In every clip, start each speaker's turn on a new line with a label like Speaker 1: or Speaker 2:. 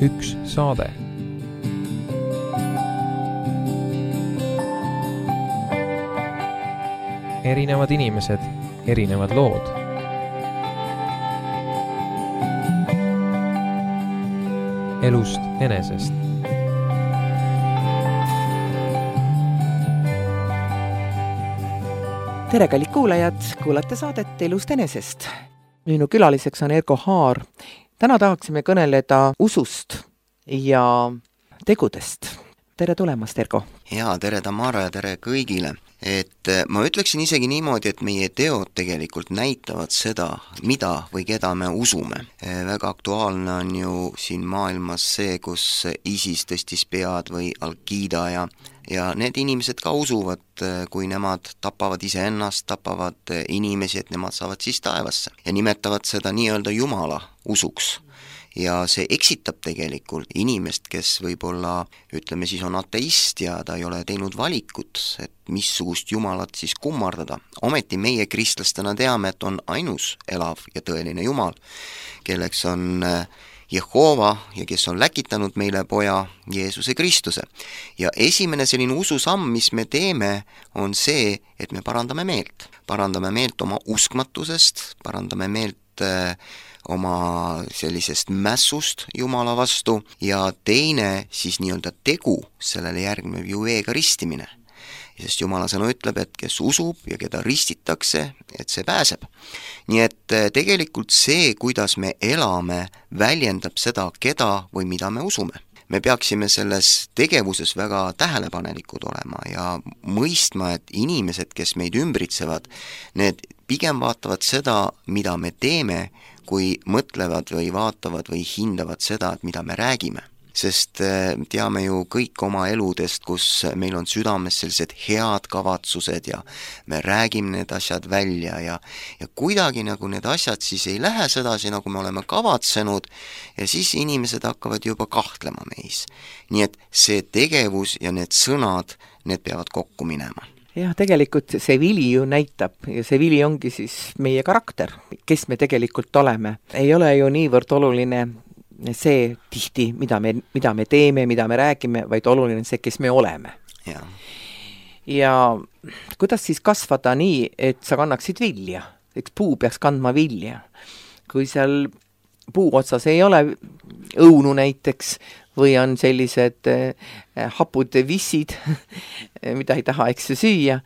Speaker 1: üks saade. Erinevad inimesed, erinevad lood. Elust enesest.
Speaker 2: Tere, kallid kuulajad, kuulate saadet Elust enesest. Minu külaliseks on Ergo Haar. Täna tahaksime kõneleda usust ja tegudest. Tere tulemast, Ergo.
Speaker 3: Jaa, tere Tamara ja tere kõigile. Ma ütleksin isegi niimoodi, et meie teod tegelikult näitavad seda, mida või keda me usume. Väga aktuaalne on ju siin maailmas see, kus ISIS tõstis pead või Al-Qaeda ja need inimesed ka usuvad, kui nemad tapavad iseennast, tapavad inimesi, et nemad saavad siis taevasse ja nimetavad seda nii-öelda Jumala usuks. Ja see eksitab tegelikult inimest, kes võib-olla, ütleme siis on ateist ja ta ei ole teinud valikut, et missugust Jumalat siis kummardada. Ometi meie kristlastena teame, et on ainus elav ja tõeline Jumal, kelleks on Jehova ja kes on läkitanud meile poja Jeesuse Kristuse. Ja esimene selline ususamm, mis me teeme, on see, et me parandame meelt. Parandame meelt oma uskmatusest, parandame meelt oma sellisest mässust Jumala vastu ja teine siis nii-öelda tegu, sellele järgneb ju veega ristimine. Sest Jumala sõna ütleb, et kes usub ja keda ristitakse, et see pääseb. Nii et tegelikult see, kuidas me elame, väljendab seda, keda või mida me usume. Me peaksime selles tegevuses väga tähelepanelikud olema ja mõistma, et inimesed, kes meid ümbritsevad, need pigem vaatavad seda, mida me teeme, kui mõtlevad või vaatavad või hindavad seda, et mida me räägime. Sest teame ju kõik oma eludest, kus meil on südames sellised head kavatsused ja me räägime need asjad välja ja kuidagi nagu need asjad siis ei lähe sedasi, nagu me oleme kavatsenud ja siis inimesed hakkavad juba kahtlema meis. Nii et see tegevus ja need sõnad, need peavad kokku minema.
Speaker 2: Jah, tegelikult see vili ju näitab ja see vili ongi siis meie karakter, kes me tegelikult oleme. Ei ole ju niivõrd oluline see tihti, mida me teeme, mida me räägime, vaid oluline see, kes me oleme. Ja kuidas siis kasvada nii, et sa kannaksid vilja? Eks puu peaks kandma vilja. Kui seal puu otsas ei ole õunu näiteks või on sellised hapud vissid, mida ei taha eks süüa,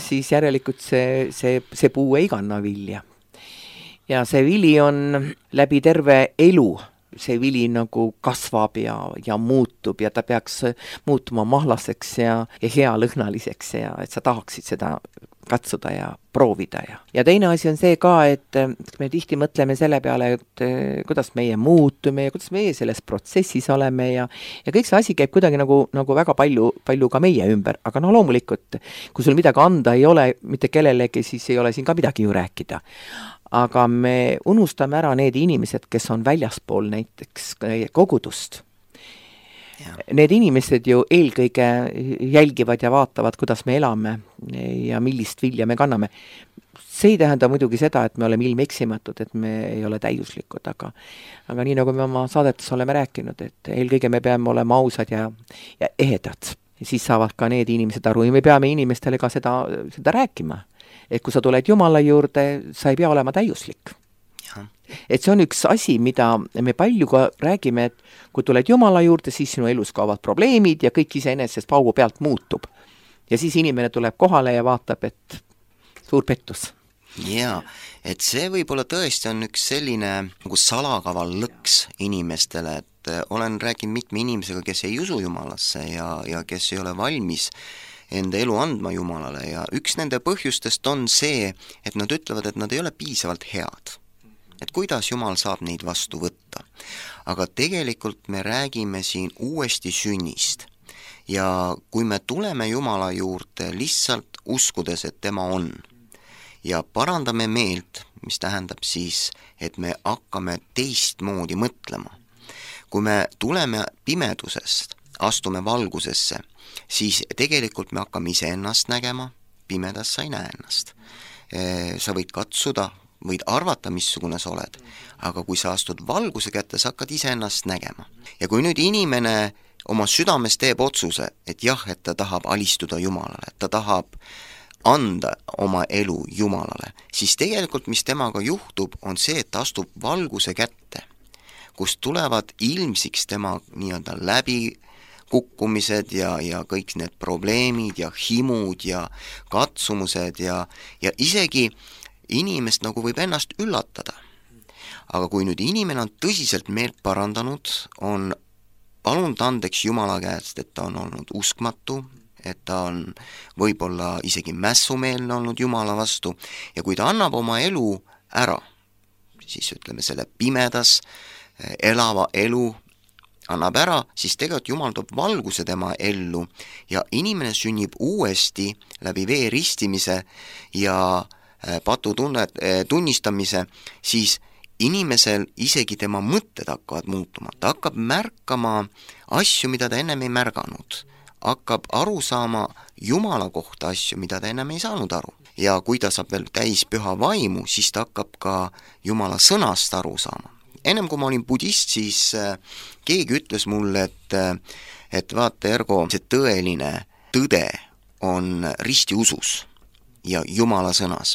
Speaker 2: siis järelikult see puu ei kanna vilja. Ja see vili on läbi terve elu. See vili nagu kasvab ja muutub ja ta peaks muutuma mahlaseks ja hea lõhnaliseks ja et sa tahaksid seda katsuda ja proovida. Ja teine asi on see ka, et me tihti mõtleme selle peale, et kuidas meie muutume ja kuidas meie selles protsessis oleme ja kõik see asi käib kuidagi nagu väga palju ka meie ümber. Aga loomulikult, kui sul midagi anda ei ole mitte kellelegi, siis ei ole siin ka midagi ju rääkida. Aga me unustame ära need inimesed, kes on väljaspool näiteks kogudust. Need inimesed ju eelkõige jälgivad ja vaatavad, kuidas me elame ja millist vilja me kanname. See ei tähenda muidugi seda, et me oleme ilmeksimatud, et me ei ole täiuslikud, aga nii nagu me oma saadetes oleme rääkinud, et eelkõige me peame olema ausad ja ehedad. Ja siis saavad ka need inimesed aru ja me peame inimestele ka seda rääkima. Et kui sa tuled Jumala juurde, sa ei pea olema täiuslik. Et see on üks asi, mida me palju ka räägime, et kui tuled Jumala juurde, siis sinu elus kaovad probleemid ja kõik iseenesest paugu pealt muutub. Ja siis inimene tuleb kohale ja vaatab, et suur pettus.
Speaker 3: Jaa, et see võib-olla tõesti on üks selline nagu salakaval lõks inimestele, et olen rääkinud mitme inimesega, kes ei usu Jumalasse ja kes ei ole valmis enda elu andma Jumalale ja üks nende põhjustest on see, et nad ütlevad, et nad ei ole piisavalt head. Et kuidas Jumal saab neid vastu võtta. Aga tegelikult me räägime siin uuesti sünnist ja kui me tuleme Jumala juurde lihtsalt uskudes, et tema on ja parandame meelt, mis tähendab siis, et me hakkame teistmoodi mõtlema. Kui me tuleme pimedusest, astume valgusesse, siis tegelikult me hakkame iseennast nägema, pimedas sa ei näe ennast. Sa võid katsuda võid arvata, missugune sa oled, aga kui sa astud valguse kätte, sa hakkad iseennast nägema. Ja kui nüüd inimene oma südames teeb otsuse, et jah, et ta tahab alistuda Jumalale, et ta tahab anda oma elu Jumalale, siis tegelikult, mis temaga juhtub, on see, et ta astub valguse kätte, kus tulevad ilmsiks tema nii-öelda läbikukkumised ja kõik need probleemid ja himud ja katsumused ja isegi inimest nagu võib ennast üllatada. Aga kui nüüd inimene on tõsiselt meelt parandanud, on palunud andeks Jumala käest, et ta on olnud uskmatu, et ta on võib-olla isegi mässumeelne olnud Jumala vastu ja kui ta annab oma elu ära, siis ütleme selle pimedas elava elu annab ära, siis tegelikult Jumal toob valguse tema ellu ja inimene sünnib uuesti läbi vee ristimise ja patu tunnistamise, siis inimesel isegi tema mõtted hakkavad muutuma, ta hakkab märkama asju, mida ta ennem ei märganud, hakkab aru saama Jumala kohta asju, mida ta ennem ei saanud aru. Ja kui ta saab veel täis püha vaimu, siis ta hakkab ka Jumala sõnast aru saama. Ennem kui ma olin budist, siis keegi ütles mulle, et vaata, Ergo, see tõeline tõde on ristiusus ja Jumala sõnas.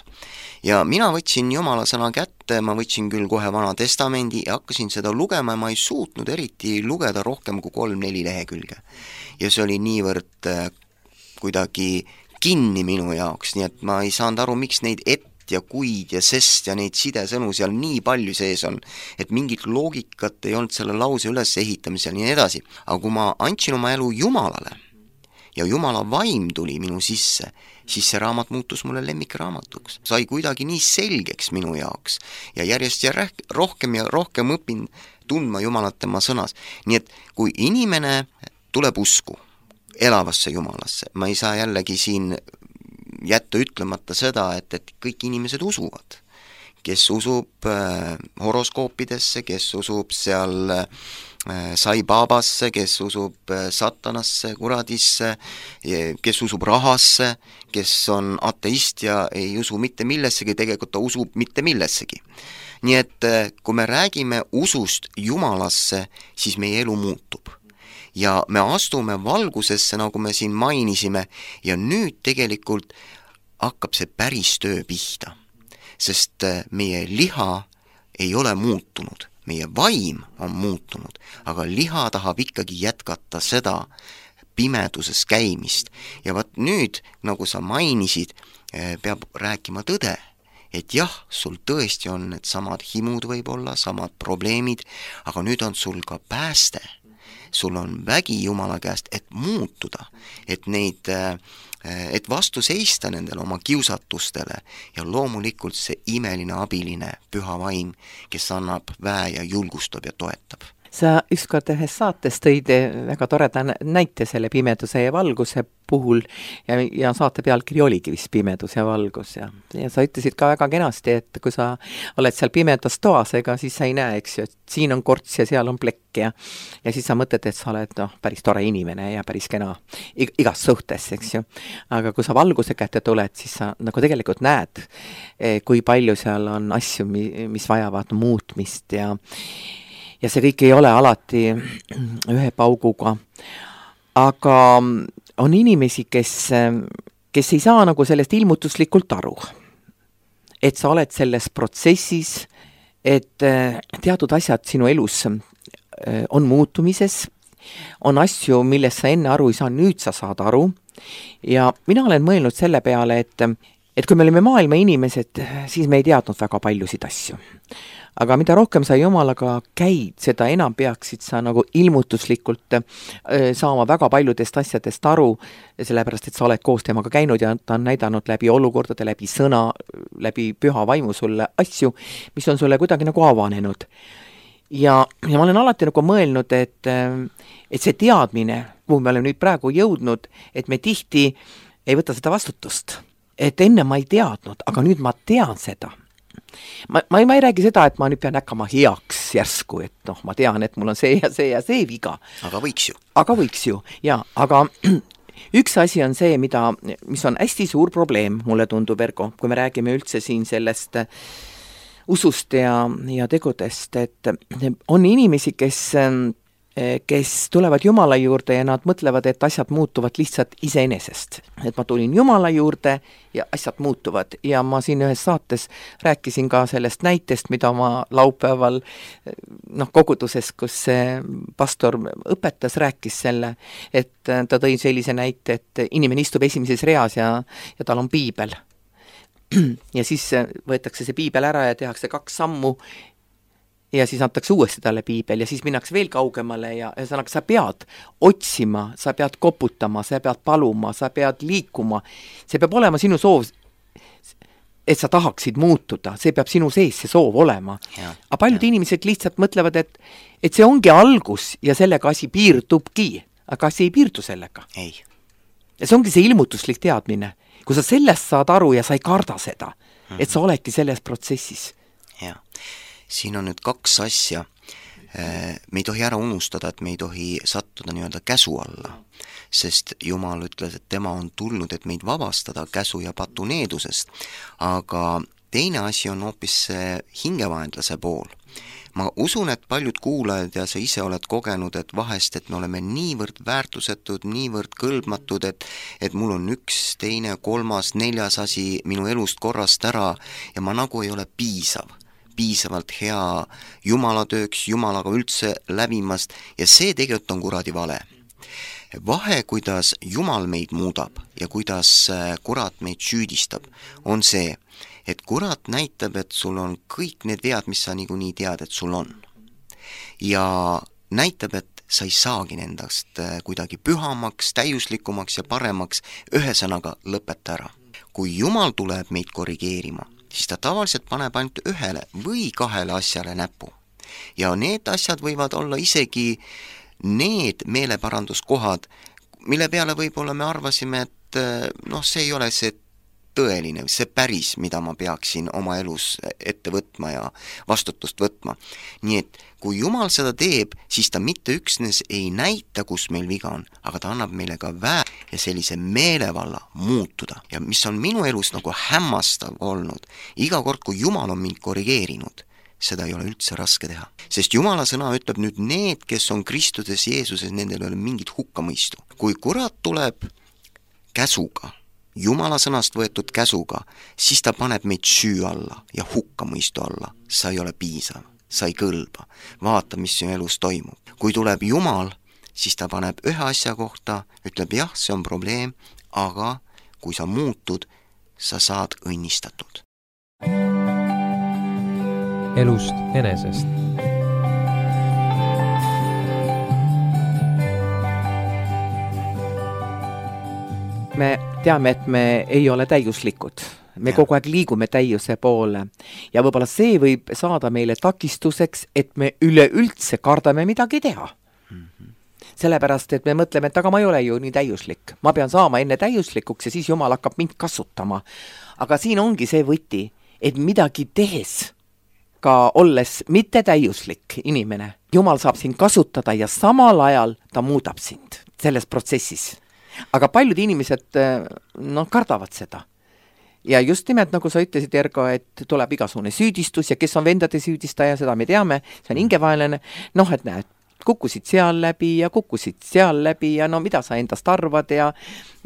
Speaker 3: Ja mina võtsin Jumala sõna kätte, ma võtsin küll kohe Vana Testamendi ja hakkasin seda lugema ja ma ei suutnud eriti lugeda rohkem kui 3-4 lehekülge. Ja see oli niivõrd kuidagi kinni minu jaoks, nii et ma ei saanud aru, miks neid ja kuid ja sest ja neid sidesõnu seal nii palju sees on, et mingit loogikat ei olnud selle lause üles ehitamisel ja nii edasi. Aga kui ma andsin oma elu Jumalale ja Jumala vaim tuli minu sisse, siis see raamat muutus mulle lemmikraamatuks. Sai kuidagi nii selgeks minu jaoks ja järjest ja rohkem õpin tundma Jumalat tema sõnas. Nii et kui inimene tuleb usku elavasse Jumalasse, ma ei saa jällegi siin jätta ütlemata seda, et kõik inimesed usuvad. Kes usub horoskoopidesse, kes usub seal Sai Babasse, kes usub satanasse, kuradisse, kes usub rahasse, kes on ateist ja ei usu mitte millessegi, tegelikult ta usub mitte millessegi. Nii et kui me räägime usust Jumalasse, siis meie elu muutub. Ja me astume valgusesse, nagu me siin mainisime, ja nüüd tegelikult hakkab see päris töö pihta, sest meie liha ei ole muutunud. Meie vaim on muutunud, aga liha tahab ikkagi jätkata seda pimeduses käimist. Ja vaat nüüd, nagu sa mainisid, peab rääkima tõde, et jah, sul tõesti on need samad himud võib-olla, samad probleemid, aga nüüd on sul ka pääste. Sul on vägi Jumala käest, et muutuda, et vastu seista nendele oma kiusatustele ja loomulikult see imeline abiline püha vaim, kes annab väe ja julgustab ja toetab.
Speaker 2: Sa ükskord ühes saates tõid väga toreda näite selle pimeduse ja valguse puhul ja saate pealkiri oligi vist pimedus ja valgus ja sa ütlesid ka väga kenasti, et kui sa oled seal pimedas toas, ega siis sa ei näe, eks ju, et siin on korts ja seal on plekk ja siis sa mõtled, et sa oled päris tore inimene ja päris kena igas suhtes, eks ju. Aga kui sa valguse kätte tuled, siis sa nagu tegelikult näed, kui palju seal on asju, mis vajavad muutmist ja see kõik ei ole alati ühe pauguga. Aga on inimesi, kes ei saa nagu sellest ilmutuslikult aru. Et sa oled selles protsessis, et teatud asjad sinu elus on muutumises, on asju, millest sa enne aru ei saa, nüüd sa saad aru. Ja mina olen mõelnud selle peale, et kui me olime maailma inimesed, siis me ei teadnud väga paljusid asju. Aga mida rohkem sa Jumalaga käid, seda enam peaksid sa nagu ilmutuslikult saama väga paljudest asjadest aru, sellepärast, et sa oled koos temaga käinud ja ta on näidanud läbi olukordade, läbi sõna, läbi püha vaimu sulle asju, mis on sulle kuidagi nagu avanenud. Ja ma olen alati nagu mõelnud, et see teadmine, kuhu me oleme nüüd praegu jõudnud, et me tihti ei võta seda vastutust. Et enne ma ei teadnud, aga nüüd ma tean seda. Ma ei räägi seda, et ma nüüd pean hakkama heaks järsku, et ma tean, et mul on see ja see ja see viga.
Speaker 3: Aga võiks ju.
Speaker 2: Ja, aga üks asi on see, mis on hästi suur probleem, mulle tundub, Ergo, kui me räägime üldse siin sellest usust ja tegudest, et on inimesi, kes tulevad Jumala juurde ja nad mõtlevad, et asjad muutuvad lihtsalt iseenesest. Et ma tulin Jumala juurde ja asjad muutuvad. Ja ma siin ühes saates rääkisin ka sellest näitest, mida ma laupäeval koguduses, kus see pastor õpetas, rääkis selle, et ta tõi sellise näite, et inimene istub esimeses reas ja tal on piibel. Ja siis võetakse see piibel ära ja tehakse 2 sammu ja siis antakse uuesti talle piibel ja siis minnakse veel kaugemale ja ühesõnaga sa pead otsima, sa pead koputama, sa pead paluma, sa pead liikuma. See peab olema sinu soov, et sa tahaksid muutuda, see peab sinu sees see soov olema. Aga paljud inimesed lihtsalt mõtlevad, et see ongi algus ja sellega asi piirdubki, aga asi ei piirdu sellega.
Speaker 3: Ei.
Speaker 2: Ja see ongi see ilmutuslik teadmine. Kui sa sellest saad aru ja sa ei karda seda, et sa oledki selles protsessis.
Speaker 3: Jah. Siin on nüüd 2 asja. Me ei tohi ära unustada, et me ei tohi sattuda nii-öelda käsu alla, sest Jumal ütles, et tema on tulnud, et meid vabastada käsu ja patuneedusest. Aga teine asi on hoopis hingevaenlase pool. Ma usun, et paljud kuulajad ja sa ise oled kogenud, et vahest, et me oleme niivõrd väärtusetud, niivõrd kõlbmatud, et mul on 1, 2, 3, 4 asi minu elust korrast ära ja ma nagu ei ole piisavalt hea jumalatööks, jumalaga üldse läbimast ja see tegelikult on kuradi vale. Vahe, kuidas Jumal meid muudab ja kuidas kurat meid süüdistab, on see, et kurat näitab, et sul on kõik need vead, mis sa niikuinii tead, et sul on. Ja näitab, et sa ei saagi nendast kuidagi pühamaks, täiuslikumaks ja paremaks, ühesõnaga lõpeta ära. Kui Jumal tuleb meid korrigeerima, siis ta tavaliselt paneb ainult 1 või 2 asjale näpu. Ja need asjad võivad olla isegi need meeleparanduskohad, mille peale võib-olla me arvasime, et see ei ole see tõeline, see päris, mida ma peaksin oma elus ette võtma ja vastutust võtma. Nii et kui Jumal seda teeb, siis ta mitte üksnes ei näita, kus meil viga on, aga ta annab meile ka ja sellise meelevalla muutuda. Ja mis on minu elus nagu hämmastav olnud, iga kord, kui Jumal on mind korrigeerinud, seda ei ole üldse raske teha. Sest Jumala sõna ütleb nüüd need, kes on Kristuses Jeesuses, nendel ei ole mingit hukkamõistu. Kui kurat tuleb käsuga, Jumala sõnast võetud käsuga, siis ta paneb meid süü alla ja hukkamõistu alla. Sa ei ole piisav, sa ei kõlba. Vaata, mis sinu elus toimub. Kui tuleb Jumal, siis ta paneb 1 asja kohta, ütleb jah, see on probleem, aga kui sa muutud, sa saad õnnistatud.
Speaker 1: Elust enesest.
Speaker 2: Me teame, et me ei ole täiuslikud. Me kogu aeg liigume täiuse poole. Ja võib-olla see võib saada meile takistuseks, et me üleüldse kardame midagi teha. Sellepärast, et me mõtleme, et aga ma ei ole ju nii täiuslik. Ma pean saama enne täiuslikuks ja siis Jumal hakkab mind kasutama. Aga siin ongi see võti, et midagi tehes, ka olles mitte täiuslik inimene, Jumal saab sind kasutada ja samal ajal ta muudab sind selles protsessis. Aga paljud inimesed kardavad seda. Ja just nimelt, nagu sa ütlesid, Ergo, et tuleb igasugune süüdistus ja kes on vendade süüdistaja, seda me teame, see on hingevaenlane, et näed, kukkusid seal läbi ja mida sa endast arvad ja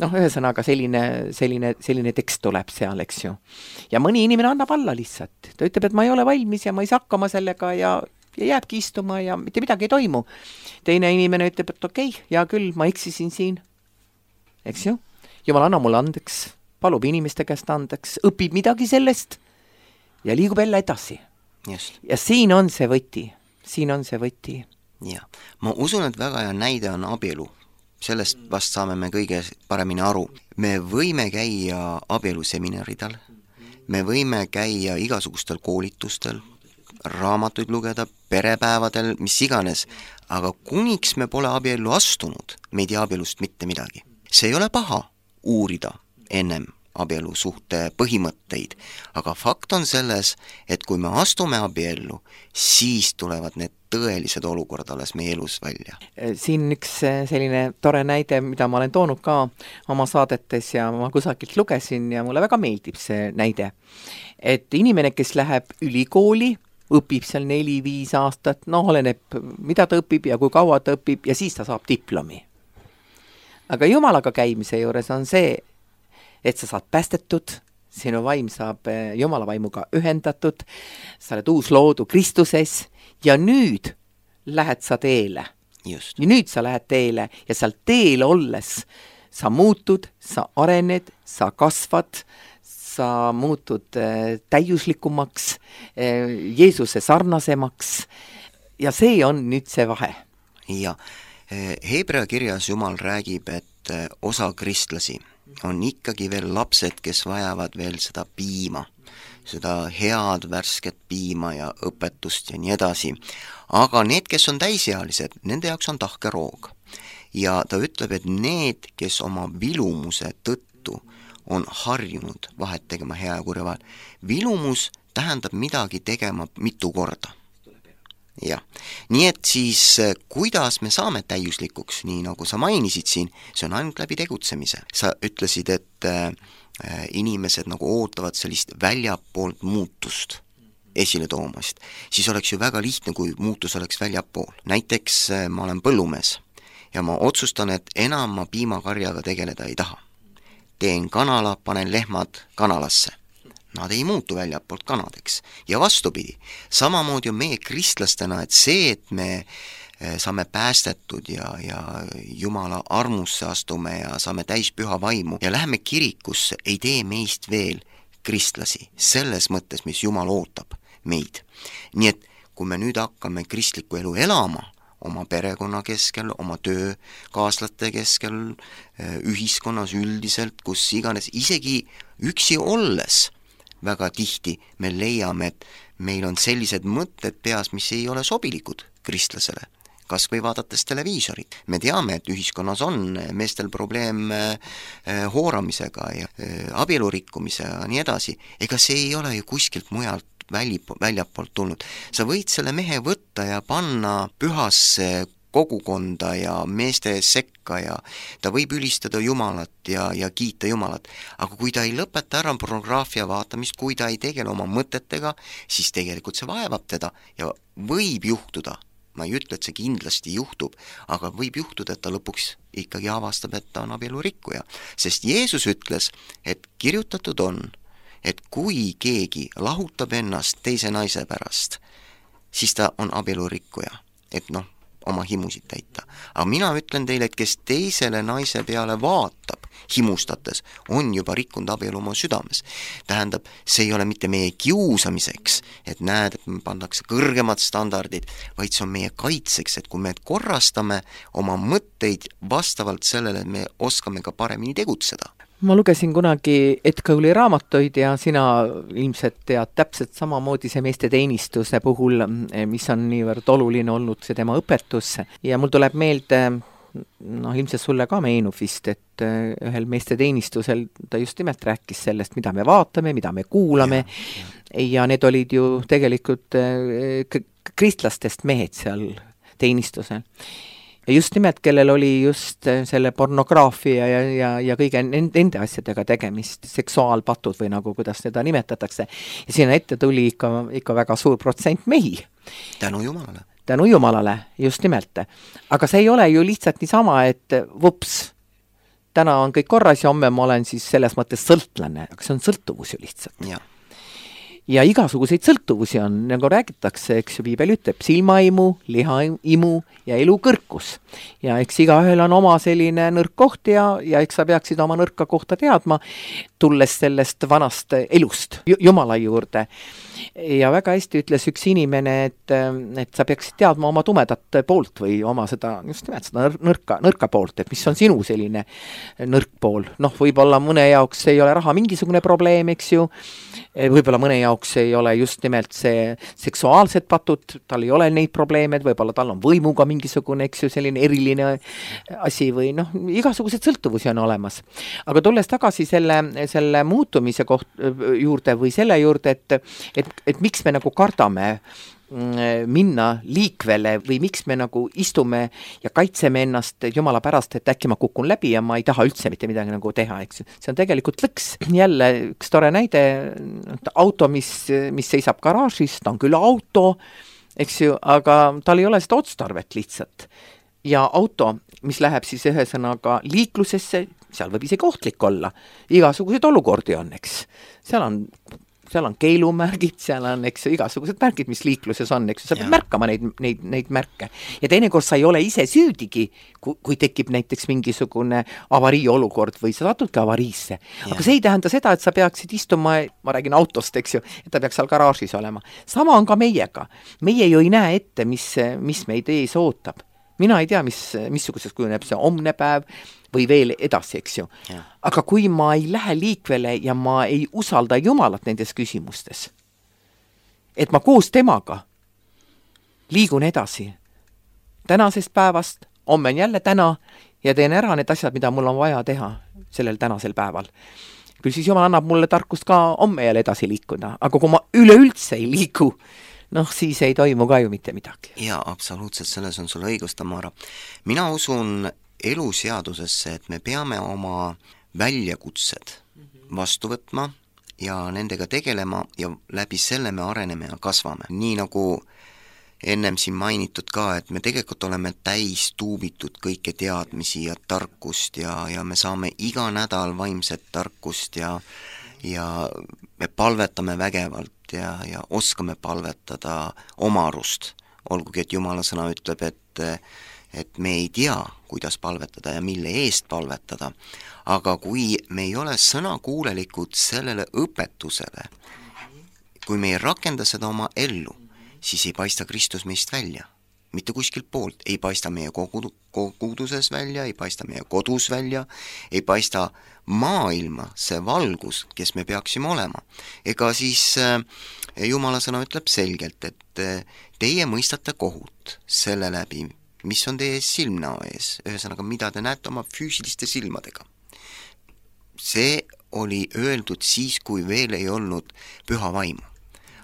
Speaker 2: ühesõnaga selline tekst tuleb seal, eks ju. Ja mõni inimene annab alla lihtsalt. Ta ütleb, et ma ei ole valmis ja ma ei saa hakkama sellega ja jääbki istuma ja mitte midagi ei toimu. Teine inimene ütleb, et okei, hea küll, ma eksisin siin. Eks ju? Jumal anna mulle andeks, palub inimeste käest andeks, õpib midagi sellest ja liigub jälle edasi.
Speaker 3: Just.
Speaker 2: Ja siin on see võti.
Speaker 3: Ja, ma usun, et väga hea näide on abielu. Sellest vast saame me kõige paremini aru. Me võime käia abieluseminaridel, me võime käia igasugustel koolitustel, raamatuid lugeda, perepäevadel, mis iganes, aga kuniks me pole abiellu astunud, me ei tea abielust mitte midagi. See ei ole paha uurida ennem abielu suhte põhimõtteid, aga fakt on selles, et kui me astume abiellu, siis tulevad need tõelised olukorrad alles meie elus välja.
Speaker 2: Siin üks selline tore näide, mida ma olen toonud ka oma saadetes ja ma kusagilt lugesin ja mulle väga meeldib see näide. Et inimene, kes läheb ülikooli, õpib seal 4-5 aastat, oleneb, mida ta õpib ja kui kaua ta õpib ja siis ta saab diplomi. Aga Jumalaga käimise juures on see, et sa saad päästetud, sinu vaim saab Jumala vaimuga ühendatud, sa oled uus loodu Kristuses ja nüüd lähed sa teele.
Speaker 3: Just.
Speaker 2: Ja nüüd sa lähed teele ja seal teel olles sa muutud, sa arened, sa kasvad, sa muutud täiuslikumaks, Jeesuse sarnasemaks ja see on nüüd see vahe.
Speaker 3: Ja Hebra kirjas Jumal räägib, et osa kristlasi on ikkagi veel lapsed, kes vajavad veel seda piima, seda head värsket piima ja õpetust ja nii edasi. Aga need, kes on täisealised, nende jaoks on tahkeroog. Ja ta ütleb, et need, kes oma vilumuse tõttu on harjunud vahet tegema hea ja kurja vahel. Vilumus tähendab midagi tegema mitu korda. Jah. Nii et siis, kuidas me saame täiuslikuks, nii nagu sa mainisid siin, see on ainult läbi tegutsemise. Sa ütlesid, et inimesed nagu ootavad sellist väljapoolt muutust esile toomast. Siis oleks ju väga lihtne, kui muutus oleks väljapool. Näiteks ma olen põllumees ja ma otsustan, et enam ma piimakarjaga tegeleda ei taha. Teen kanala, panen lehmad kanalasse. Nad ei muutu väljapoolt kanadeks. Ja vastupidi, samamoodi on meie kristlastena, et see, et me saame päästetud ja Jumala armusse astume ja saame täis püha vaimu ja läheme kirikusse, ei tee meist veel kristlasi. Selles mõttes, mis Jumal ootab meid. Nii et kui me nüüd hakkame kristlikku elu elama, oma perekonna keskel, oma töökaaslaste keskel, ühiskonnas üldiselt, kus iganes, isegi üksi olles, väga tihti me leiame, et meil on sellised mõtted peas, mis ei ole sobilikud kristlasele, kas või vaadates televiisorit. Me teame, et ühiskonnas on meestel probleem hooramisega ja abielurikkumise ja nii edasi. Ega see ei ole ju kuskilt mujalt väljapoolt tulnud. Sa võid selle mehe võtta ja panna pühasse kogukonda ja meeste sekka ja ta võib ülistada Jumalat ja kiita Jumalat. Aga kui ta ei lõpeta ära pornograafia vaatamist, kui ta ei tegele oma mõtetega, siis tegelikult see vaevab teda ja võib juhtuda, ma ei ütle, et see kindlasti juhtub, aga võib juhtuda, et ta lõpuks ikkagi avastab, et ta on abielurikkuja. Sest Jeesus ütles, et kirjutatud on, et kui keegi lahutab ennast teise naise pärast, siis ta on abielurikkuja. Et oma himusid täita. Aga mina ütlen teile, et kes teisele naise peale vaatab himustates, on juba rikkunud abielu oma südames. Tähendab, see ei ole mitte meie kiusamiseks, et näed, et me pandakse kõrgemad standardid, vaid see on meie kaitseks, et kui me korrastame oma mõtteid vastavalt sellele, et me oskame ka paremini tegutseda.
Speaker 2: Ma lugesin kunagi Edkauli raamatuid ja sina ilmselt tead täpselt samamoodi see meeste teenistuse puhul, mis on niivõrd oluline olnud see tema õpetus. Ja mul tuleb meelde, ilmselt sulle ka meenub vist, et ühel meeste teenistusel ta just nimelt rääkis sellest, mida me vaatame, mida me kuulame ja need olid ju tegelikult kristlastest mehed seal teenistusel. Ja just nimelt, kellel oli just selle pornograafia ja kõige nende asjadega tegemist, seksuaalpatud või nagu, kuidas seda nimetatakse. Ja sinna ette tuli ikka väga suur protsent mehi.
Speaker 3: Tänu Jumalale.
Speaker 2: Tänu Jumalale, just nimelt. Aga see ei ole ju lihtsalt niisama, et vups, täna on kõik korras ja homme ma olen siis selles mõttes sõltlane, aga see on sõltuvus ju lihtsalt. Ja igasuguseid sõltuvusi on, nagu räägitakse, eks ju, Piibel ütleb, silmaimu, lihaimu ja elukõrkus. Ja eks igaühel on oma selline nõrk koht ja eks sa peaksid oma nõrka kohta teadma, tulles sellest vanast elust Jumala juurde. Ja väga hästi ütles üks inimene, et sa peaksid teadma oma tumedat poolt või oma seda, just nimelt seda nõrka poolt, et mis on sinu selline nõrk pool. Võib-olla mõne jaoks ei ole raha mingisugune probleem, eks ju, võib-olla mõne jaoks ei ole just nimelt see seksuaalsed patud, tal ei ole neid probleeme, võib-olla tal on võimuga mingisugune, eks ju, selline eriline asi või igasugused sõltuvusi on olemas. Aga tulles tagasi selle muutumise juurde või selle juurde, et miks me nagu kardame minna liikvele või miks me nagu istume ja kaitseme ennast jumala pärast, et äkki ma kukun läbi ja ma ei taha üldse mitte midagi nagu teha, eks. See on tegelikult lõks. Jälle üks tore näide, auto, mis seisab garaažis, ta on küll auto, eks ju, aga tal ei ole seda otstarvet lihtsalt. Ja auto, mis läheb siis ühesõnaga liiklusesse, seal võib isegi ohtlik olla. Igasuguseid olukordi on, eks. Seal on keelumärgid, seal on, eks, igasugused märgid, mis liikluses on, eks, sa pead märkama neid märke. Ja teinekord sa ei ole ise süüdigi, kui tekib näiteks mingisugune avarii olukord või sa satudki avariisse. Aga see ei tähenda seda, et sa peaksid istuma, ma räägin autost, eks ju, et ta peaks seal garaažis olema. Sama on ka meiega. Meie ju ei näe ette, mis meid ees ootab. Mina ei tea, missuguses kujuneb see homne päev või veel edasi, eks ju. Aga kui ma ei lähe liikvele ja ma ei usalda Jumalat nendes küsimustes, et ma koos temaga liigun edasi tänasest päevast, homme on jälle täna ja teen ära need asjad, mida mul on vaja teha sellel tänasel päeval. Küll siis Jumal annab mulle tarkust ka homme jälle edasi liikuda, aga kui ma üleüldse ei liigu, siis ei toimu ka ju mitte midagi.
Speaker 3: Jaa, absoluutselt, selles on sul õigus, Tamara. Mina usun eluseadusesse, et me peame oma väljakutsed vastu võtma ja nendega tegelema ja läbi selle me areneme ja kasvame. Nii nagu ennem siin mainitud ka, et me tegelikult oleme täis tuubitud kõike teadmisi ja tarkust ja me saame iga nädal vaimset tarkust ja me palvetame vägevalt ja oskame palvetada oma arust. Olgugi, et Jumala sõna ütleb, et me ei tea, kuidas palvetada ja mille eest palvetada. Aga kui me ei ole sõnakuulelikud sellele õpetusele, kui me ei rakenda seda oma ellu, siis ei paista Kristus meist välja. Mitte kuskilt poolt. Ei paista meie koguduses välja, ei paista meie kodus välja, ei paista maailma see valgus, kes me peaksime olema. Ega siis Jumala sõna ütleb selgelt, et teie mõistate kohut selle läbi, mis on teie silmnäo ees, ühesõnaga, mida te näete oma füüsiliste silmadega. See oli öeldud siis, kui veel ei olnud püha vaimu.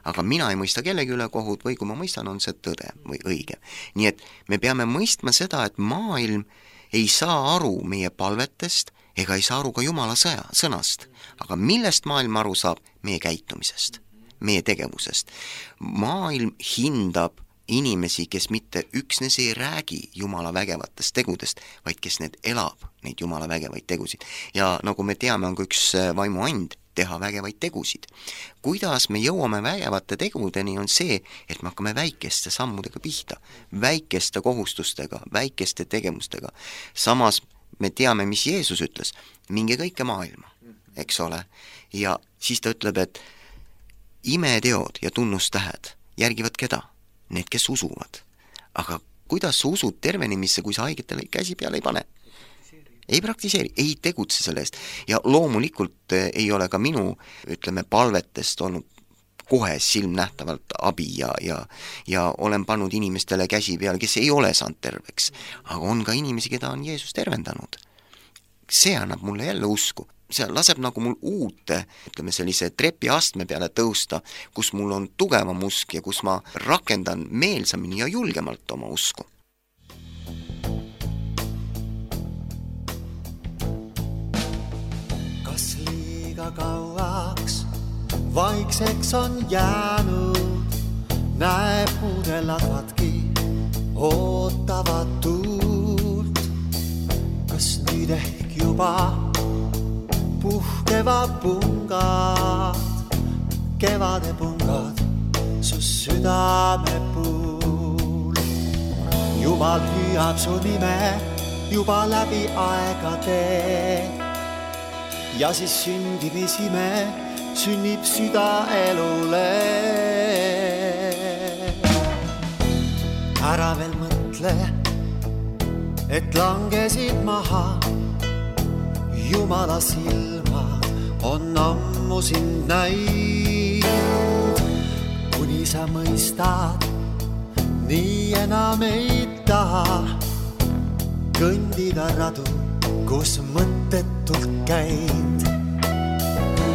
Speaker 3: Aga mina ei mõista kellegi üle kohut või kui ma mõistan, on see tõde või õige. Nii et me peame mõistma seda, et maailm ei saa aru meie palvetest ega ei saa aru ka Jumala sõnast. Aga millest maailm aru saab? Meie käitumisest, meie tegevusest. Maailm hindab inimesi, kes mitte üksnes ei räägi Jumala vägevatest tegudest, vaid kes need elab, neid Jumala vägevaid tegusid. Ja nagu me teame, on ka üks vaimu and teha vägevaid tegusid. Kuidas me jõuame vägevate tegudeni on see, et me hakkame väikeste sammudega pihta, väikeste kohustustega, väikeste tegevustega. Samas me teame, mis Jeesus ütles, minge kõike maailma, eks ole. Ja siis ta ütleb, et imeteod ja tunnustähed järgivad keda? Need, kes usuvad. Aga kuidas sa usud tervenemisse, kui sa haigetele käsi peale ei pane? Ei praktiseeri, ei tegutse selle eest. Ja loomulikult ei ole ka minu, palvetest olnud kohe silmnähtavalt abi ja olen pannud inimestele käsi peale, kes ei ole saanud terveks. Aga on ka inimesi, keda on Jeesus tervendanud. See annab mulle jälle usku. See laseb nagu mul uute, sellise trepiastme peale tõusta, kus mul on tugevam usk ja kus ma rakendan meelsamini ja julgemalt oma usku.
Speaker 4: Kas liiga kauaks vaikseks on jäänud, näeb muudeladvadki, ootavad tuult. Kas nüüd ehk juba puhkevad pungad, kevade pungad su südame puul. Jumal hüüab su nime juba läbi aegade ja siis sündimisime sünnib süda elule. Ära veel mõtle, et langesid maha, Jumala silmad on ammu sind näinud. Kuni sa mõistad, nii enam ei taha kõndida radu, kus mõttetult käid.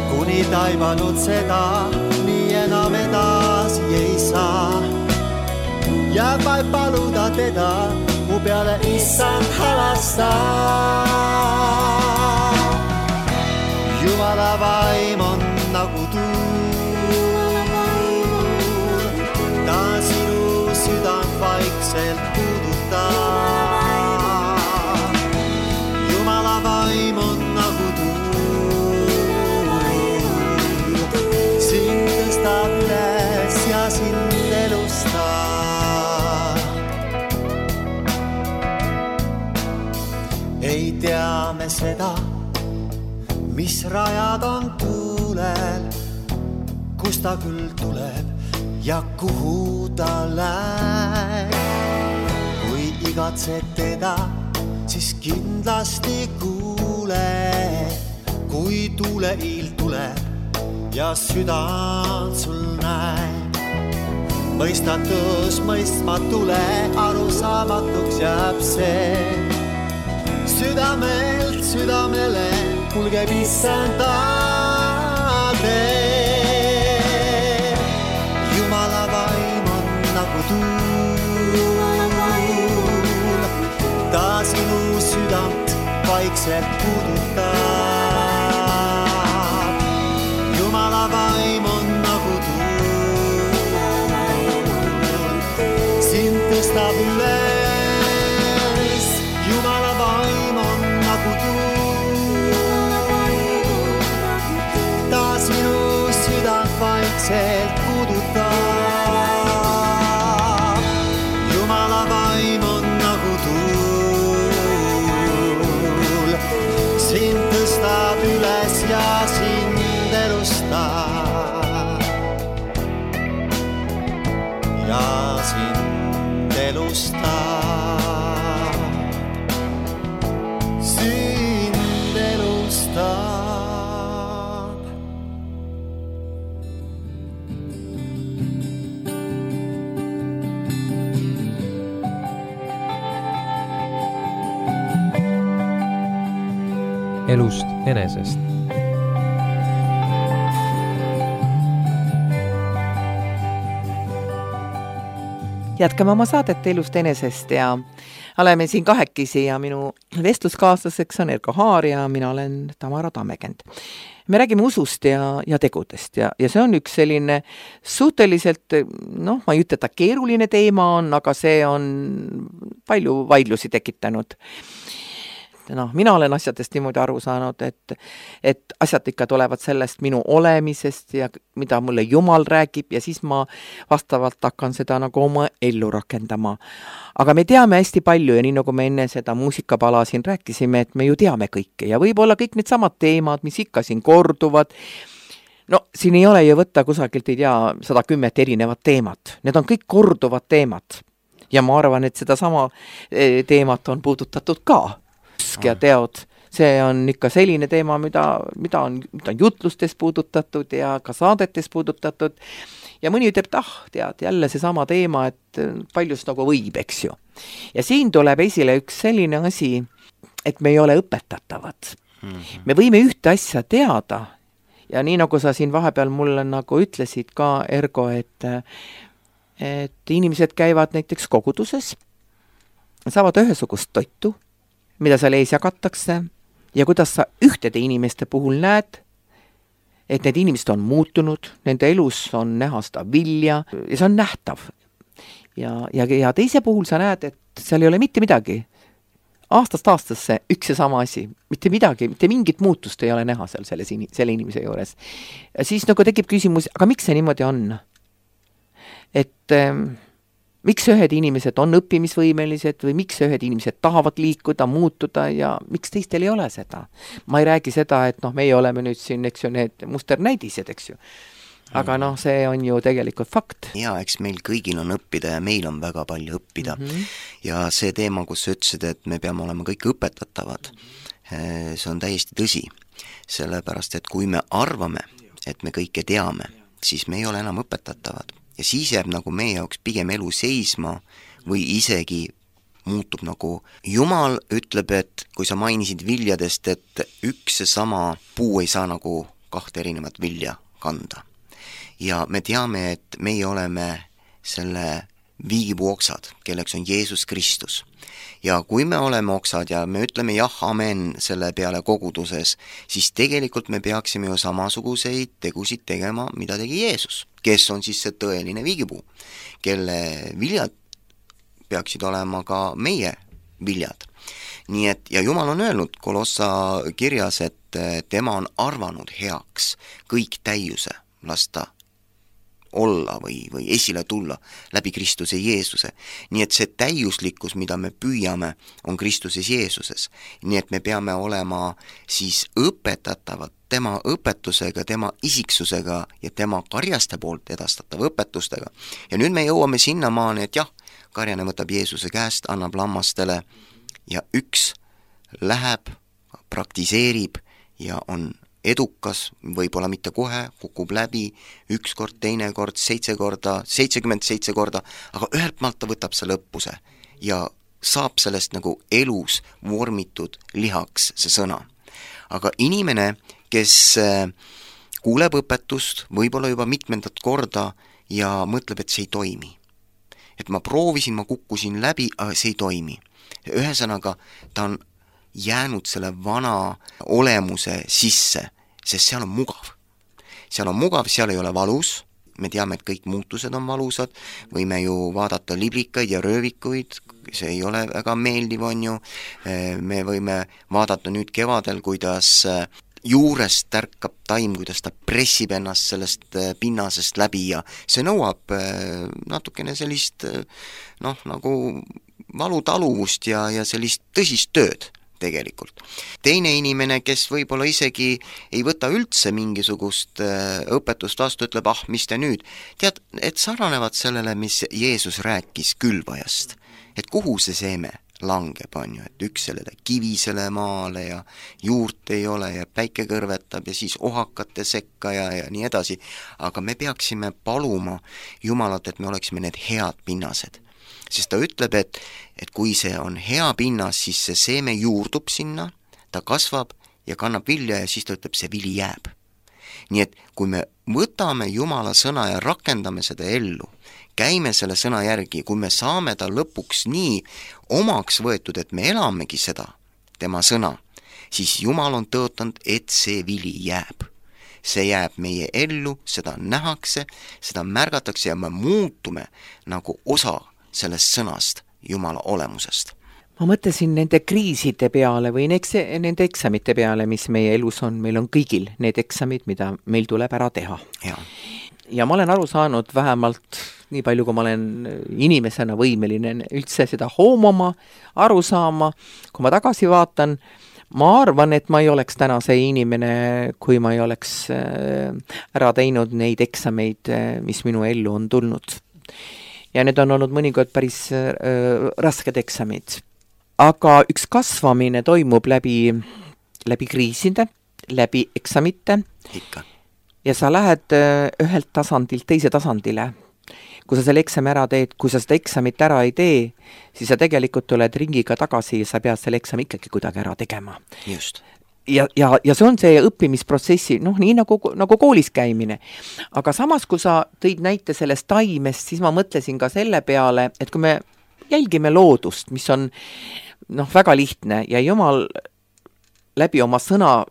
Speaker 4: Kuni taibanud seda, nii enam edasi ei saa. jääb vaid paluda teda, mu peale issand halasta. Jumala vaim on nagu tuul, ta sinu südant vaikselt puudutab. Jumala vaim on nagu tuul, sind tõstab üles ja sind elustab. Ei tea me seda, mis rajad on tuulel, kus ta küll tuleb ja kuhu ta läheb. Kui igatsed teda, siis kindlasti kuule, kui tuuleiil tuleb ja südant sul näeb. Mõistatus mõistmatule, arusaamatuks jääb see. Südamelt südamele kulgeb issanda tee. Jumala vaim on nagu tuul, ta sinu südant vaikselt puudutab. Jumala vaim on nagu tuul, sind tõstab üles. Jumala vaim on nagu tuul, ta sinu südant vaikselt puudutab. Jumala vaim on nagu tuul, sind tõstab üles ja sind elustab. Ja sind elustab, sind elustab.
Speaker 1: Elust enesest.
Speaker 2: Jätkame oma saadet Elust enesest ja oleme siin kahekesi ja minu vestluskaaslaseks on Erko Haar ja mina olen Tamara Tammekend. Me räägime usust ja tegudest ja see on üks selline suhteliselt, ma ei ütle, et ta keeruline teema on, aga see on palju vaidlusi tekitanud. Mina olen asjadest niimoodi aru saanud, et asjad ikka tulevad sellest minu olemisest ja mida mulle Jumal räägib ja siis ma vastavalt hakkan seda nagu oma ellu rakendama. Aga me teame hästi palju ja nii nagu me enne seda muusikapala siin rääkisime, et me ju teame kõike ja võib-olla kõik need samad teemad, mis ikka siin korduvad. Siin ei ole ju võtta kusagilt, ei tea, 110 erinevat teemat. Need on kõik korduvad teemad. Ja ma arvan, et seda sama teemat on puudutatud ka. Ja teod, see on ikka selline teema, mida on jutlustes puudutatud ja ka saadetes puudutatud ja mõni ütleb, tead, jälle see sama teema, et paljus nagu võib, eks ju. Ja siin tuleb esile üks selline asi, et me ei ole õpetatavad. Me võime ühte asja teada ja nii nagu sa siin vahepeal mulle nagu ütlesid ka, Ergo, et inimesed käivad näiteks koguduses, saavad ühesugust toitu, mida seal ees jagatakse ja kuidas sa ühtede inimeste puhul näed, et need inimesed on muutunud, nende elus on näha seda vilja ja see on nähtav. Ja teise puhul sa näed, et seal ei ole mitte midagi. Aastast aastasse üks ja sama asi. Mitte midagi, mitte mingit muutust ei ole näha seal selle inimese juures. Ja siis nagu tekib küsimus, aga miks see niimoodi on? Et miks ühed inimesed on õppimisvõimelised või miks ühed inimesed tahavad liikuda, muutuda ja miks teistel ei ole seda? Ma ei räägi seda, et meie oleme nüüd siin, eks ju, need musternäidised, eks ju. Aga see on ju tegelikult fakt.
Speaker 3: Ja eks meil kõigil on õppida ja meil on väga palju õppida. Ja see teema, kus sa ütlesid, et me peame olema kõik õpetatavad, see on täiesti tõsi. Sellepärast, et kui me arvame, et me kõike teame, siis me ei ole enam õpetatavad. Ja siis jääb nagu meie jaoks pigem elu seisma või isegi muutub nagu Jumal ütleb, et kui sa mainisid viljadest, et üks ja sama puu ei saa nagu 2 erinevat vilja kanda. Ja me teame, et meie oleme selle viigipuu oksad, kelleks on Jeesus Kristus. Ja kui me oleme oksad ja me ütleme jah, amen selle peale koguduses, siis tegelikult me peaksime ju samasuguseid tegusid tegema, mida tegi Jeesus, kes on siis see tõeline viigipuu, kelle viljad peaksid olema ka meie viljad. Nii et, ja Jumal on öelnud Kolossa kirjas, et tema on arvanud heaks kõik täiuse lasta olla või esile tulla läbi Kristuse Jeesuse. Nii et see täiuslikkus, mida me püüame, on Kristuses Jeesuses. Nii et me peame olema siis õpetatavad tema õpetusega, tema isiksusega ja tema karjaste poolt edastatava õpetustega. Ja nüüd me jõuame sinnamaani, et jah, karjane võtab Jeesuse käest, annab lammastele ja üks läheb, praktiseerib ja on edukas, võib-olla mitte kohe, kukub läbi, üks kord, teine kord, 7 korda, 77 korda, aga ühelt maalt ta võtab selle õppuse ja saab sellest nagu elus vormitud lihaks see sõna. Aga inimene, kes kuuleb õpetust võib-olla juba mitmendat korda ja mõtleb, et see ei toimi. Et ma proovisin, ma kukkusin läbi, aga see ei toimi. Ühesõnaga, ta on jäänud selle vana olemuse sisse, sest seal on mugav. Seal on mugav, seal ei ole valus, me teame, et kõik muutused on valusad, võime ju vaadata liblikaid ja röövikuid, see ei ole väga meeldiv, on ju, me võime vaadata nüüd kevadel, kuidas juurest tärkab taim, kuidas ta pressib ennast sellest pinnasest läbi ja see nõuab natukene sellist nagu valutaluvust ja sellist tõsist tööd tegelikult. Teine inimene, kes võib-olla isegi ei võta üldse mingisugust õpetust vastu, ütleb, mis te nüüd? Tead, et sarnanevad sellele, mis Jeesus rääkis külvajast, et kuhu see seeme langeb, on ju, et üks sellele kivisele maale ja juurt ei ole ja päike kõrvetab ja siis ohakate sekka ja nii edasi, aga me peaksime paluma Jumalat, et me oleksime need head pinnased. Sest ta ütleb, et kui see on hea pinnas, siis see seeme juurdub sinna, ta kasvab ja kannab vilja ja siis ta ütleb, see vili jääb. Nii et kui me võtame Jumala sõna ja rakendame seda ellu, käime selle sõna järgi, kui me saame ta lõpuks nii omaks võetud, et me elamegi seda, tema sõna, siis Jumal on tõotanud, et see vili jääb. See jääb meie ellu, seda nähakse, seda märgatakse ja me muutume nagu osa sellest sõnast, Jumala olemusest.
Speaker 2: Ma mõtlesin nende kriiside peale või nende eksamite peale, mis meie elus on. Meil on kõigil need eksamid, mida meil tuleb ära teha. Ja ma olen aru saanud vähemalt nii palju, kui ma olen inimesena võimeline üldse seda hoomama, aru saama. Kui ma tagasi vaatan, ma arvan, et ma ei oleks täna see inimene, kui ma ei oleks ära teinud neid eksameid, mis minu ellu on tulnud. Ja need on olnud mõnikord päris rasked eksamid. Aga üks kasvamine toimub läbi kriiside, läbi eksamite.
Speaker 3: Ikka.
Speaker 2: Ja sa lähed ühelt tasandilt teise tasandile. Kui sa selle eksami ära teed, kui sa seda eksamit ära ei tee, siis sa tegelikult tuled ringiga tagasi ja sa pead selle eksami ikkagi kuidagi ära tegema.
Speaker 3: Just.
Speaker 2: Ja see on see õppimisprotsessi, nii nagu koolis käimine. Aga samas, kui sa tõid näite sellest taimest, siis ma mõtlesin ka selle peale, et kui me jälgime loodust, mis on väga lihtne ja Jumal läbi oma sõna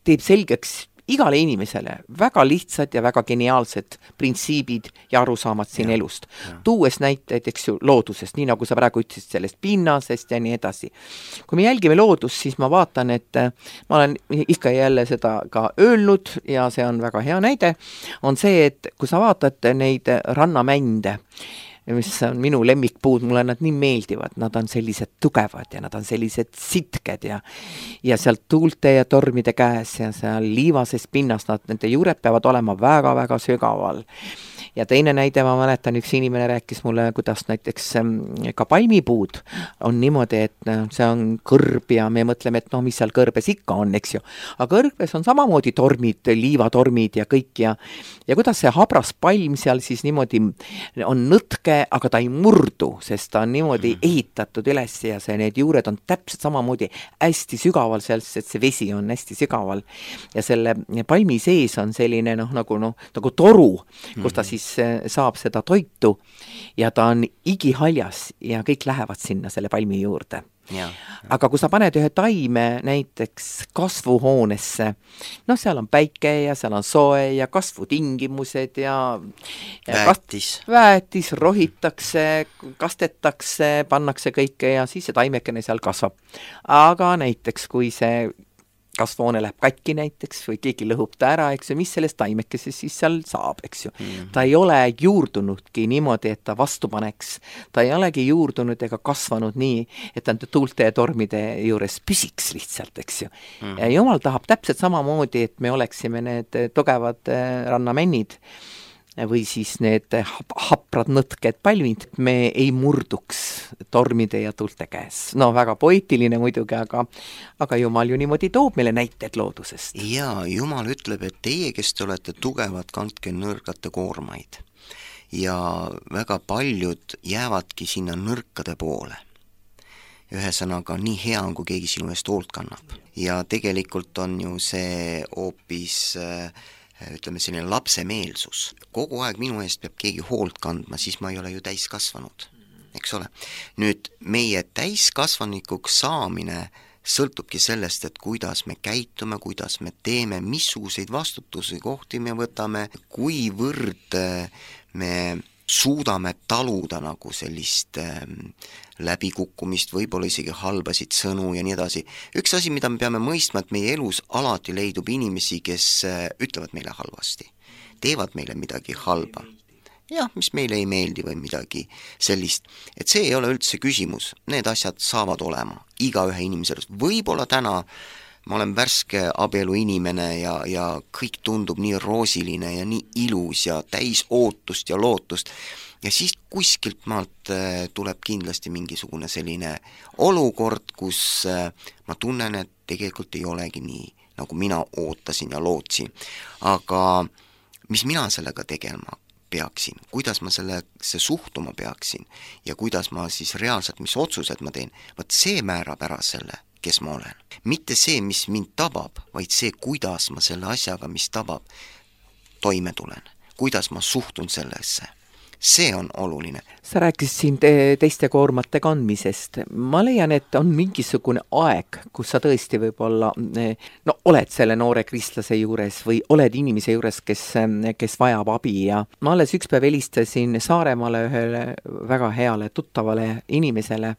Speaker 2: teeb selgeks igale inimesele väga lihtsad ja väga geniaalsed printsiibid ja arusaamad siin elust. Tuues näiteid, eks ju, loodusest, nii nagu sa praegu ütlesid sellest pinnasest ja nii edasi. Kui me jälgime loodust, siis ma vaatan, et ma olen ikka jälle seda ka öelnud ja see on väga hea näide, on see, et kui sa vaatad neid rannamände, mis on minu lemmikpuud, mulle nad nii meeldivad, nad on sellised tugevad ja nad on sellised sitked ja sealt tuulte ja tormide käes ja seal liivases pinnas, nende juured peavad olema väga-väga sügaval. Ja teine näide, ma mäletan, üks inimene rääkis mulle, kuidas näiteks ka palmipuud on niimoodi, et see on kõrb ja me mõtleme, et mis seal kõrbes ikka on, eks ju. Aga kõrbes on samamoodi tormid, liivatormid ja kõik ja kuidas see habras palm seal siis niimoodi on nõtke, aga ta ei murdu, sest ta on niimoodi ehitatud üles ja need juured on täpselt samamoodi hästi sügaval seal, sest see vesi on hästi sügaval. Ja selle palmi sees on selline nagu toru, kus ta siis siis saab seda toitu ja ta on igihaljas ja kõik lähevad sinna selle palmi juurde. Aga kui sa paned ühe taime näiteks kasvuhoonesse, seal on päike ja seal on soe ja kasvutingimused ja väetis rohitakse, kastetakse, pannakse kõike ja siis see taimekene seal kasvab. Aga näiteks kui see kasvuhoone läheb katki näiteks või keegi lõhub ta ära, eks ju, mis sellest taimekesest siis seal saab, eks ju. Ta ei ole juurdunudki niimoodi, et ta vastu paneks. Ta ei olegi juurdunud ega kasvanud nii, et ta tuulte ja tormide juures püsiks lihtsalt, eks ju. Ja Jumal tahab täpselt samamoodi, et me oleksime need tugevad rannamennid või siis need haprad nõtked palmid, me ei murduks tormide ja tuulte käes. Väga poeetiline muidugi, aga Jumal ju niimoodi toob meile näited loodusest.
Speaker 3: Ja Jumal ütleb, et teie, kes te olete tugevad, kandke nõrgate koormaid. Ja väga paljud jäävadki sinna nõrkade poole. Ühesõnaga, nii hea on, kui keegi sinu eest hoolt kannab. Ja tegelikult on ju see hoopis ütleme selline lapsemeelsus. Kogu aeg minu eest peab keegi hoolt kandma, siis ma ei ole ju täiskasvanud, eks ole. Nüüd meie täiskasvanikuks saamine sõltubki sellest, et kuidas me käitume, kuidas me teeme, missuguseid vastutusi kohti me võtame, kuivõrd me suudame taluda nagu sellist läbikukkumist, võib-olla isegi halbasid sõnu ja nii edasi. Üks asi, mida me peame mõistma, et meie elus alati leidub inimesi, kes ütlevad meile halvasti, teevad meile midagi halba. Jah, mis meile ei meeldi või midagi sellist. Et see ei ole üldse küsimus, need asjad saavad olema igaühe inimesel. Võib-olla täna ma olen värske abielu inimene ja kõik tundub nii roosiline ja nii ilus ja täis ootust ja lootust. Ja siis kuskilt maalt tuleb kindlasti mingisugune selline olukord, kus ma tunnen, et tegelikult ei olegi nii, nagu mina ootasin ja lootsin. Aga mis mina sellega tegema peaksin, kuidas ma sellesse suhtuma peaksin ja kuidas ma siis reaalselt, mis otsused ma teen, võt see määrab ära selle, kes ma olen. Mitte see, mis mind tabab, vaid see, kuidas ma selle asjaga, mis tabab, toime tulen. Kuidas ma suhtun sellesse. See on oluline.
Speaker 2: Sa rääkisid siin teiste koormate kandmisest. Ma leian, et on mingisugune aeg, kus sa tõesti võib-olla oled selle noore kristlase juures või oled inimese juures, kes vajab abi ja ma alles üks päev helistasin Saaremaale ühele väga heale tuttavale inimesele.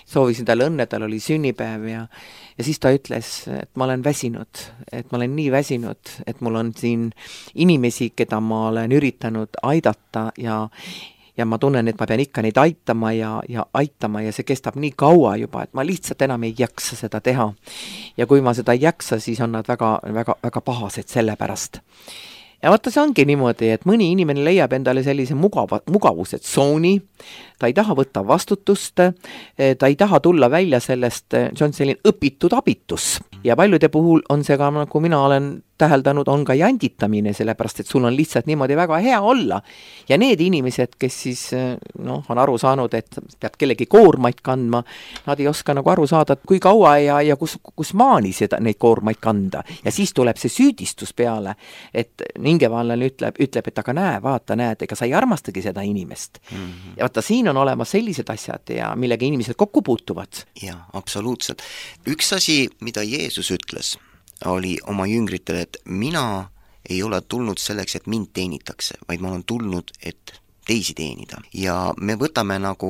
Speaker 2: Soovisin talle õnne, tal oli sünnipäev ja siis ta ütles, et ma olen väsinud, et ma olen nii väsinud, et mul on siin inimesi, keda ma olen üritanud aidata ja ma tunnen, et ma pean ikka neid aitama ja aitama ja see kestab nii kaua juba, et ma lihtsalt enam ei jaksa seda teha. Ja kui ma seda ei jaksa, siis on nad väga, väga, väga pahased selle pärast. Ja vaata, see ongi niimoodi, et mõni inimene leiab endale sellise mugavuse tsooni, ta ei taha võtta vastutust, ta ei taha tulla välja sellest, see on selline õpitud abitus. Ja paljude puhul on see ka, nagu mina olen täheldanud, on ka janditamine, sellepärast, et sul on lihtsalt niimoodi väga hea olla. Ja need inimesed, kes siis on aru saanud, et peab kellegi koormaid kandma, nad ei oska nagu aru saada, kui kaua ja kus maani neid koormaid kanda. Ja siis tuleb see süüdistus peale, et hingevallane ütleb, et aga näed, ega sa ei armastagi seda inimest. Ja vaata, siin on olemas sellised asjad ja millega inimesed kokku puutuvad.
Speaker 3: Ja, absoluutselt. Üks asi, mida Jeesus ütles, oli oma jüngritele, et mina ei ole tulnud selleks, et mind teenitakse, vaid ma olen tulnud, et teisi teenida. Ja me võtame nagu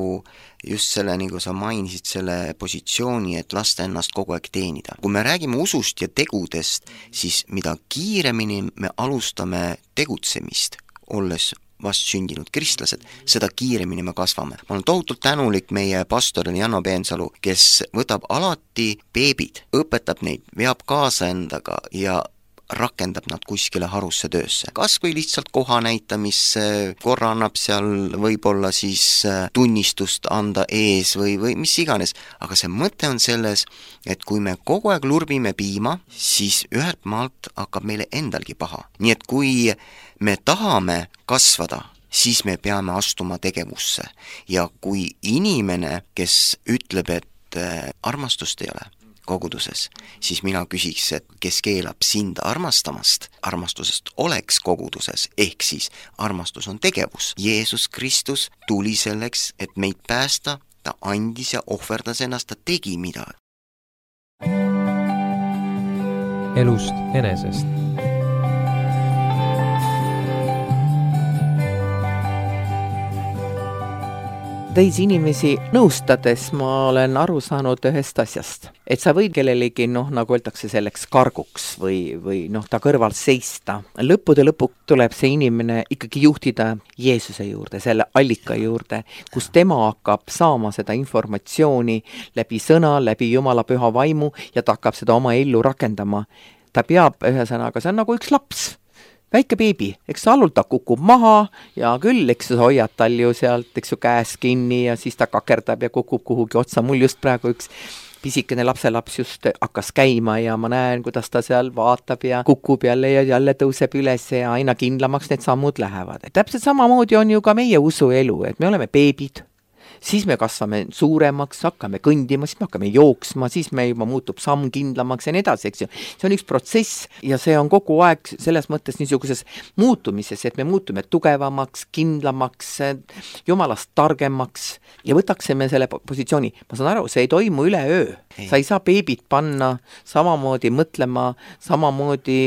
Speaker 3: just selle, nagu sa mainisid, selle positsiooni, et lasta ennast kogu aeg teenida. Kui me räägime usust ja tegudest, siis mida kiiremini me alustame tegutsemist, olles vast sündinud kristlased, seda kiiremini me kasvame. Ma olen tohutult tänulik meie pastorile Janno Peensalu, kes võtab alati beebid, õpetab neid, veab kaasa endaga ja rakendab nad kuskile harusse töösse. Kas või lihtsalt koha näitamisse, korra annab seal võib-olla siis tunnistust anda ees või mis iganes. Aga see mõte on selles, et kui me kogu aeg lurvime piima, siis ühelt maalt hakkab meile endalgi paha. Nii et kui me tahame kasvada, siis me peame astuma tegevusse. Ja kui inimene, kes ütleb, et armastust ei ole, koguduses, siis mina küsiks, et kes keelab sind armastamast, armastusest oleks koguduses, ehk siis armastus on tegevus. Jeesus Kristus tuli selleks, et meid päästa, ta andis ja ohverdas ennast, ta tegi midagi.
Speaker 1: Elust enesest.
Speaker 2: Teisi inimesi nõustades ma olen aru saanud ühest asjast, et sa võid kellelegi, nagu öeldakse, selleks karguks või ta kõrval seista. Lõppude lõpuks tuleb see inimene ikkagi juhtida Jeesuse juurde, selle allika juurde, kus tema hakkab saama seda informatsiooni läbi sõna, läbi Jumala püha vaimu ja ta hakkab seda oma ellu rakendama. Ta peab, ühesõnaga, see on nagu üks laps. Väike beebi, eks allul ta kukub maha ja küll, eks sa hoiad tal ju sealt, eks ju käes kinni ja siis ta kakerdab ja kukub kuhugi otsa. Mul just praegu üks pisikene lapselaps just hakkas käima ja ma näen, kuidas ta seal vaatab ja kukub jälle ja jälle tõuseb üles ja aina kindlamaks need sammud lähevad. Täpselt samamoodi on ju ka meie usuelu, et me oleme beebid. Siis me kasvame suuremaks, hakkame kõndima, siis me hakkame jooksma, siis me juba muutub samm kindlamaks ja nii edasi, eks ju. See on üks protsess ja see on kogu aeg selles mõttes niisuguses muutumises, et me muutume tugevamaks, kindlamaks, Jumalast targemaks ja võtaksime selle positsiooni. Ma saan aru, see ei toimu üleöö. Sa ei saa beebit panna samamoodi mõtlema, samamoodi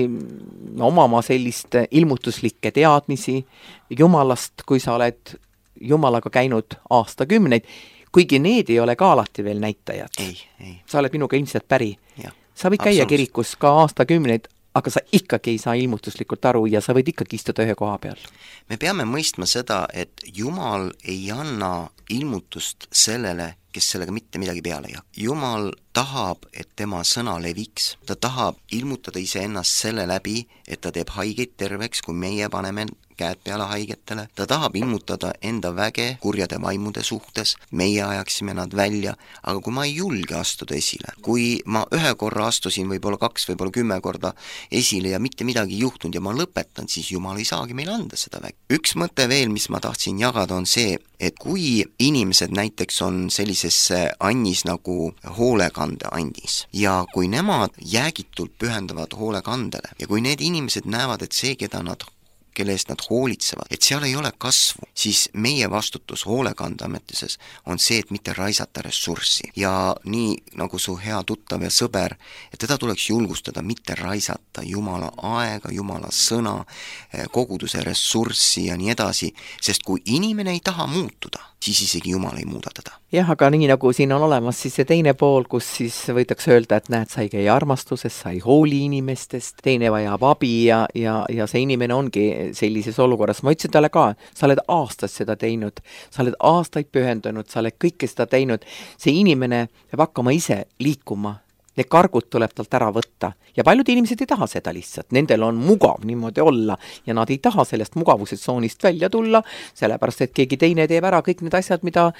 Speaker 2: omama sellist ilmutuslikke teadmisi Jumalast, kui sa oled Jumalaga käinud aastakümneid, kuigi need ei ole ka alati veel näitajad.
Speaker 3: Ei.
Speaker 2: Sa oled minuga ilmselt päri.
Speaker 3: Ja,
Speaker 2: sa võid käia kirikus ka aastakümneid, aga sa ikkagi ei saa ilmutuslikult aru ja sa võid ikkagi istuda ühe koha peal.
Speaker 3: Me peame mõistma seda, et Jumal ei anna ilmutust sellele, kes sellega mitte midagi peale ei hakka. Jumal tahab, et tema sõna leviks. Ta tahab ilmutada iseennast selle läbi, et ta teeb haigeid terveks, kui meie paneme käed peale haigetele. Ta tahab ilmutada enda väge kurjade vaimude suhtes, meie ajaksime nad välja, aga kui ma ei julge astuda esile, kui ma ühe korra astusin võib-olla 2, võib-olla 10 korda esile ja mitte midagi juhtunud ja ma lõpetan, siis Jumal ei saagi meile anda seda väge. Üks mõte veel, mis ma tahtsin jagada, on see, et kui inimesed näiteks on sellises annis nagu hoolekandeandis ja kui nemad jäägitult pühendavad hoolekandele ja kui need inimesed näevad, et see, kelle eest nad hoolitsevad, et seal ei ole kasvu, siis meie vastutus hoolekandeametises on see, et mitte raisata ressurssi. Ja nii nagu su hea tuttav ja sõber, et teda tuleks julgustada, mitte raisata Jumala aega, Jumala sõna, koguduse ressurssi ja nii edasi, sest kui inimene ei taha muutuda, siis isegi Jumal ei muuda teda.
Speaker 2: Jah, aga nii nagu siin on olemas siis see teine pool, kus siis võidakse öelda, et näed, sa ei käi armastuses, sa ei hooli inimestest, teine vajab abi ja see inimene ongi sellises olukorras. Ma ütlesin talle ka, sa oled aastaid seda teinud, sa oled aastaid pühendunud, sa oled kõike seda teinud. See inimene peab hakkama ise liikuma. Need kargud tuleb talt ära võtta ja paljud inimesed ei taha seda lihtsalt, nendel on mugav niimoodi olla ja nad ei taha sellest mugavusestsoonist välja tulla, sellepärast et keegi teine teeb ära kõik need asjad, mida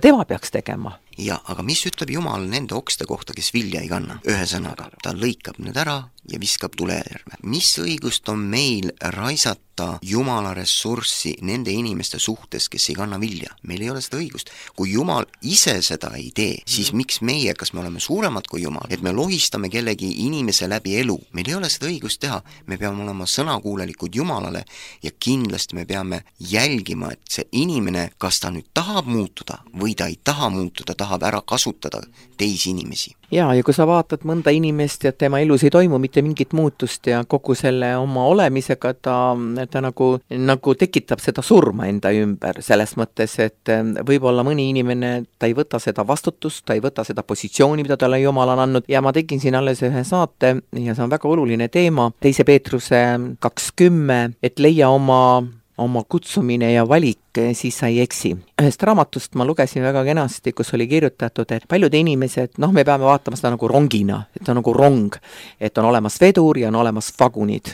Speaker 2: tema peaks tegema.
Speaker 3: Ja, aga mis ütleb Jumal nende okste kohta, kes vilja ei kanna? Ühesõnaga, ta lõikab need ära ja viskab tulerjärve. Mis õigust on meil raisata Jumala ressurssi nende inimeste suhtes, kes ei kanna vilja? Meil ei ole seda õigust. Kui Jumal ise seda ei tee, siis miks meie, kas me oleme suuremad kui Jumal, et me lohistame kellegi inimese läbi elu? Meil ei ole seda õigust teha. Me peame olema sõnakuulelikud Jumalale ja kindlasti me peame jälgima, et see inimene, kas ta nüüd tahab muutuda või ta ei taha muutuda, tahab ära kasutada teisi inimesi.
Speaker 2: Ja kui sa vaatad mõnda inimest ja tema elus ei toimu mitte mingit muutust ja kogu selle oma olemisega ta nagu tekitab seda surma enda ümber selles mõttes, et võib-olla mõni inimene, ta ei võta seda vastutust, ta ei võta seda positsiooni, mida talle Jumal on andnud ja ma tegin siin alles ühe saate ja see on väga oluline teema, 2. Peetruse 2:10, et leia oma kutsumine ja valik, siis sa ei eksi. Ühest raamatust ma lugesin väga kenasti, kus oli kirjutatud, et paljud inimesed, me peame vaatama seda nagu rongina, et on nagu rong, et on olemas vedur ja on olemas vagunid.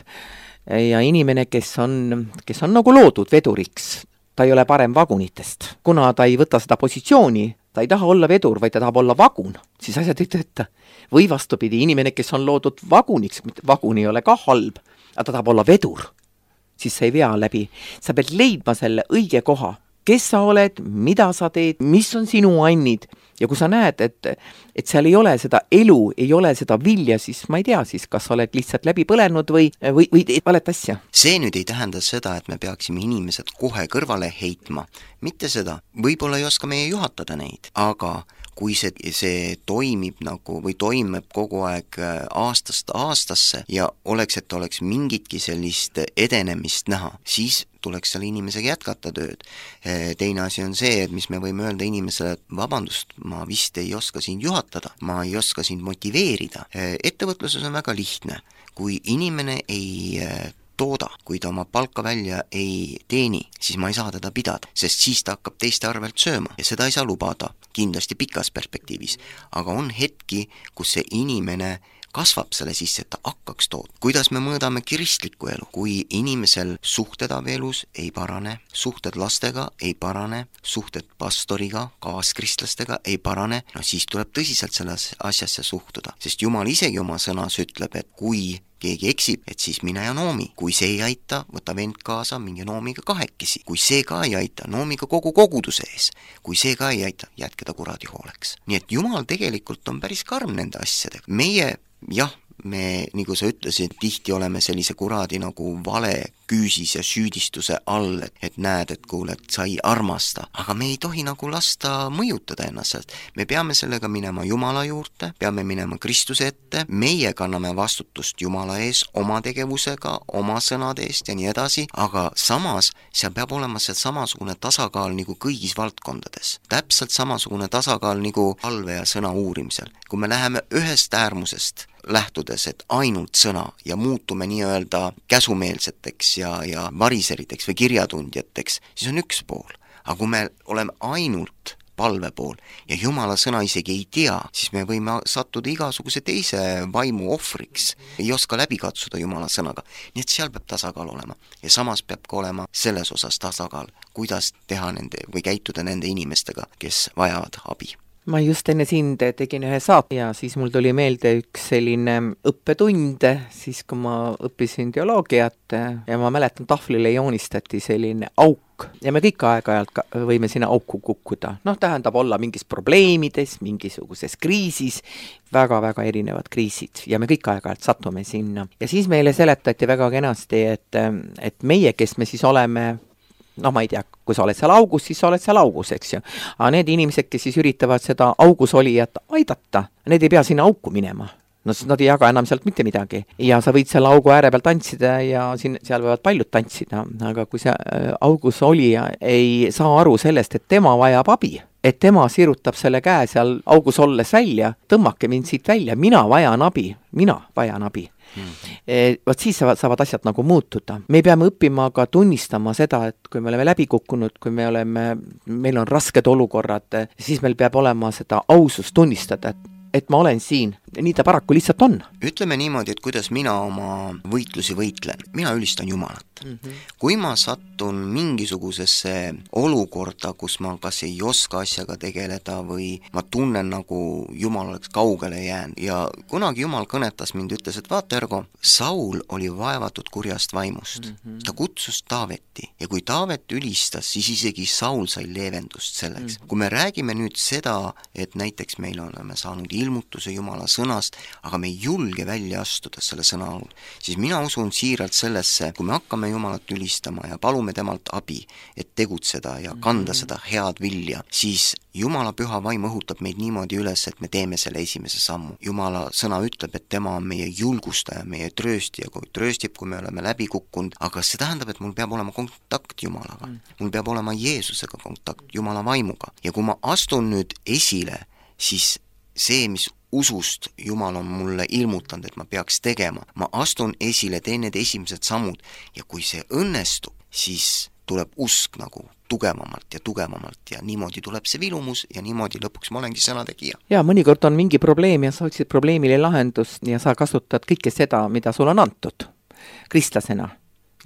Speaker 2: Ja inimene, kes on nagu loodud veduriks, ta ei ole parem vagunitest. Kuna ta ei võta seda positsiooni, ta ei taha olla vedur, vaid ta tahab olla vagun, siis asjad ei tööta. Või vastupidi, inimene, kes on loodud vaguniks, vagun ei ole ka halb, aga ta tahab olla vedur, siis sa ei vea läbi. Sa pead leidma selle õige koha, kes sa oled, mida sa teed, mis on sinu annid. Ja kui sa näed, et seal ei ole seda elu, ei ole seda vilja, siis ma ei tea, siis kas sa oled lihtsalt läbi põlenud või teed valet asja.
Speaker 3: See nüüd ei tähenda seda, et me peaksime inimesed kohe kõrvale heitma. Mitte seda. Võib-olla ei oska meie juhatada neid, aga kui see toimib nagu või toimub kogu aeg aastast aastasse ja et oleks mingitki sellist edenemist näha, siis tuleks selle inimesega jätkata tööd. Teine asi on see, et mis me võime öelda inimesele, et vabandust, ma vist ei oska sind juhatada, ma ei oska sind motiveerida. Ettevõtluses on väga lihtne. Kui inimene ei tooda, kui ta oma palka välja ei teeni, siis ma ei saa teda pidada, sest siis ta hakkab teiste arvelt sööma ja seda ei saa lubada, kindlasti pikas perspektiivis. Aga on hetki, kus see inimene kasvab selle sisse, et ta hakkaks tood. Kuidas me mõõdame kristlikku elu? Kui inimesel suhted abielus ei parane, suhted lastega ei parane, suhted pastoriga, kaaskristlastega ei parane, no siis tuleb tõsiselt selles asjasse suhtuda. Sest Jumal isegi oma sõnas ütleb, et kui keegi eksib, et siis mine ja noomi. Kui see ei aita, võta vend kaasa, minge noomiga kahekesi. Kui see ka ei aita, noomiga kogu koguduse ees. Kui see ka ei aita, jätke ta kuradi hooleks. Nii et Jumal tegelikult on päris karm nende asjadega. Meie, jah, me, nagu sa ütlesid, tihti oleme sellise kuradi nagu vale küüsis ja süüdistuse all, et näed, et kuule, et sa ei armasta. Aga me ei tohi nagu lasta mõjutada ennast. Me peame sellega minema Jumala juurde, peame minema Kristuse ette, meie kanname vastutust Jumala ees oma tegevusega, oma sõnade eest ja nii edasi, aga samas seal peab olema see samasugune tasakaal nagu kõigis valdkondades. Täpselt samasugune tasakaal nagu palve ja sõna uurimisel. Kui me läheme ühest äärmusest lähtudes, et ainult sõna ja muutume nii-öelda käsumeelseteks ja variseriteks või kirjatundjateks, siis on üks pool. Aga kui me oleme ainult palve pool ja Jumala sõna isegi ei tea, siis me võime sattuda igasuguse teise vaimu ohvriks, ei oska läbi katsuda Jumala sõnaga. Nii et seal peab tasakaal olema ja samas peab ka olema selles osas tasakaal, kuidas teha nende või käituda nende inimestega, kes vajavad abi.
Speaker 2: Ma just enne sind tegin ühe saate ja siis mul tuli meelde üks selline õppetund, siis kui ma õppisin teoloogiat ja ma mäletan, tahvlile joonistati selline auk ja me kõik aeg-ajalt võime sinna auku kukkuda. Tähendab olla mingis probleemides, mingisuguses kriisis, väga-väga erinevad kriisid ja me kõik aeg-ajalt satume sinna. Ja siis meile seletati väga kenasti, et meie, kes me siis oleme, ma ei tea, kui sa oled seal augus, siis sa oled seal augus, eks ju. Aga need inimesed, kes siis üritavad seda augus olijat aidata, need ei pea sinna auku minema. Nad ei jaga enam sealt mitte midagi. Ja sa võid selle augu ääre peal tantsida ja seal võivad paljud tantsida. Aga kui see augus olija ei saa aru sellest, et tema vajab abi, et tema sirutab selle käe seal augus olles välja, tõmmake mind siit välja, mina vajan abi. Vaat siis saavad asjad nagu muutuda. Me peame õppima ka tunnistama seda, et kui me oleme läbi kukkunud, kui meil on rasked olukorrad, siis meil peab olema seda ausust tunnistada, et ma olen siin. Nii ta paraku lihtsalt on.
Speaker 3: Ütleme niimoodi, et kuidas mina oma võitlusi võitlen. Mina ülistan Jumalat. Kui ma sattun mingisugusesse olukorda, kus ma kas ei oska asjaga tegeleda või ma tunnen nagu Jumal oleks kaugele jäänud ja kunagi Jumal kõnetas mind, ütles, et vaata Ergo, Saul oli vaevatud kurjast vaimust. Ta kutsus Taaveti ja kui Taavet ülistas, siis isegi Saul sai leevendust selleks. Kui me räägime nüüd seda, et näiteks meil oleme saanud ilmutuse Jumala sõnast, aga me ei julge välja astuda selle sõna all, siis mina usun siiralt sellesse, kui me hakkame Jumalat ülistama ja palume temalt abi, et tegutseda ja kanda seda head vilja, siis Jumala püha vaim õhutab meid niimoodi üles, et me teeme selle esimese sammu. Jumala sõna ütleb, et tema on meie julgustaja, meie trööstija, kui trööstib, kui me oleme läbi kukkunud, aga see tähendab, et mul peab olema kontakt Jumalaga. Mul peab olema Jeesusega kontakt, Jumala vaimuga. Ja kui ma astun nüüd esile, siis see, mis usust Jumal on mulle ilmutanud, et ma peaks tegema. Ma astun esile, teen need esimesed sammud ja kui see õnnestub, siis tuleb usk nagu tugevamalt ja niimoodi tuleb see vilumus ja niimoodi lõpuks ma olengi sõnategija.
Speaker 2: Ja mõnikord on mingi probleem ja sa otsid probleemile lahendust ja sa kasutad kõike seda, mida sul on antud kristlasena.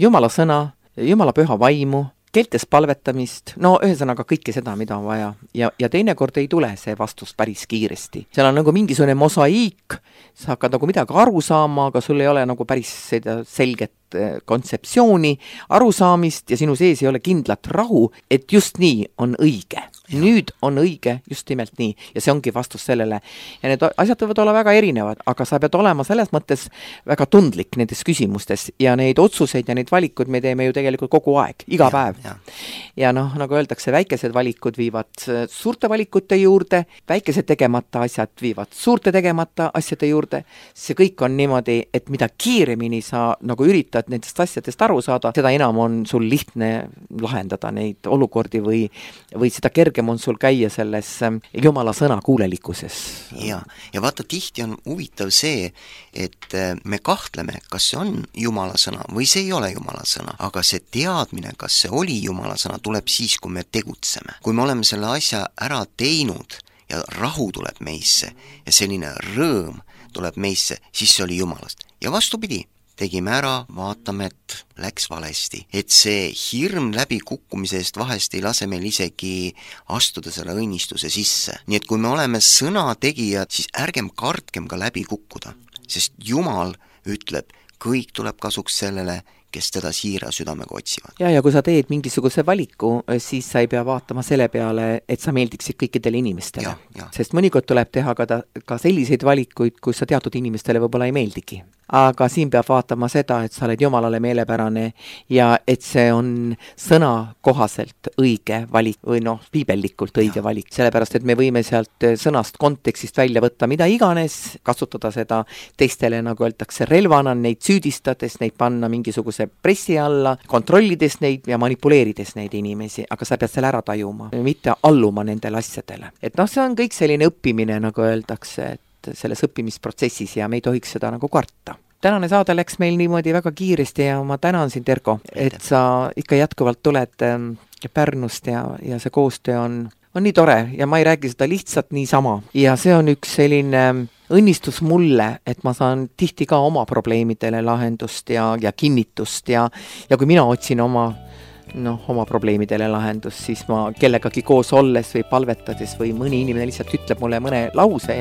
Speaker 2: Jumala sõna, Jumala püha vaimu, keeltes palvetamist, ühesõnaga kõike seda, mida on vaja. Ja teinekord ei tule see vastus päris kiiresti. Seal on nagu mingisugune mosaiik, sa hakkad nagu midagi aru saama, aga sul ei ole nagu päris seda selget kontseptsiooni, arusaamist ja sinu sees ei ole kindlat rahu, et just nii on õige. Nüüd on õige just nimelt nii ja see ongi vastus sellele. Ja need asjad võivad olla väga erinevad, aga sa pead olema selles mõttes väga tundlik nendes küsimustes ja neid otsuseid ja neid valikud me teeme ju tegelikult kogu aeg, iga päev. Ja nagu öeldakse, väikesed valikud viivad suurte valikute juurde, väikesed tegemata asjad viivad suurte tegemata asjade juurde. See kõik on niimoodi, et mida kiiremini sa nagu üritad nendest asjadest aru saada, seda enam on sul lihtne lahendada neid olukordi või seda kergem on sul käia selles Jumala sõna kuulelikkuses.
Speaker 3: Ja vaata, tihti on huvitav see, et me kahtleme, kas see on Jumala sõna või see ei ole Jumala sõna, aga see teadmine, kas see oli Jumala sõna, tuleb siis, kui me tegutseme. Kui me oleme selle asja ära teinud ja rahu tuleb meisse ja selline rõõm tuleb meisse, siis see oli Jumalast. Ja vastupidi, tegime ära, vaatame, et läks valesti. Et see hirm läbi kukkumise eest vahest ei lase meil isegi astuda selle õnnistuse sisse. Nii et kui me oleme sõnategijad, siis ärgem kartkem ka läbi kukkuda. Sest Jumal ütleb, kõik tuleb kasuks sellele, kes teda siira südamega otsivad.
Speaker 2: Ja kui sa teed mingisuguse valiku, siis sa ei pea vaatama selle peale, et sa meeldiksid kõikidele inimestele. Sest mõnikord tuleb teha ka selliseid valikuid, kus sa teatud inimestele võib-olla ei meeldigi. Aga siin peab vaatama seda, et sa oled Jumalale meelepärane ja et see on sõna kohaselt õige valik või piibellikult õige valik. Sellepärast, et me võime sealt sõnast kontekstist välja võtta mida iganes, kasutada seda teistele, nagu öeldakse, relvana, neid süüdistades, neid panna mingisuguse pressi alla, kontrollides neid ja manipuleerides neid inimesi, aga sa pead selle ära tajuma, mitte alluma nendele asjadele. Et see on kõik selline õppimine, nagu öeldakse, et selles õppimisprotsessis ja me ei tohiks seda nagu karta. Tänane saade läks meil niimoodi väga kiiresti ja ma tänan sind, Erko, et sa ikka jätkuvalt tuled Pärnust ja see koostöö on nii tore ja ma ei räägi seda lihtsalt niisama. Ja see on üks selline õnnistus mulle, et ma saan tihti ka oma probleemidele lahendust ja kinnitust ja kui mina otsin oma probleemidele lahendus, siis ma kellegagi koos olles või palvetades või mõni inimene lihtsalt ütleb mulle mõne lause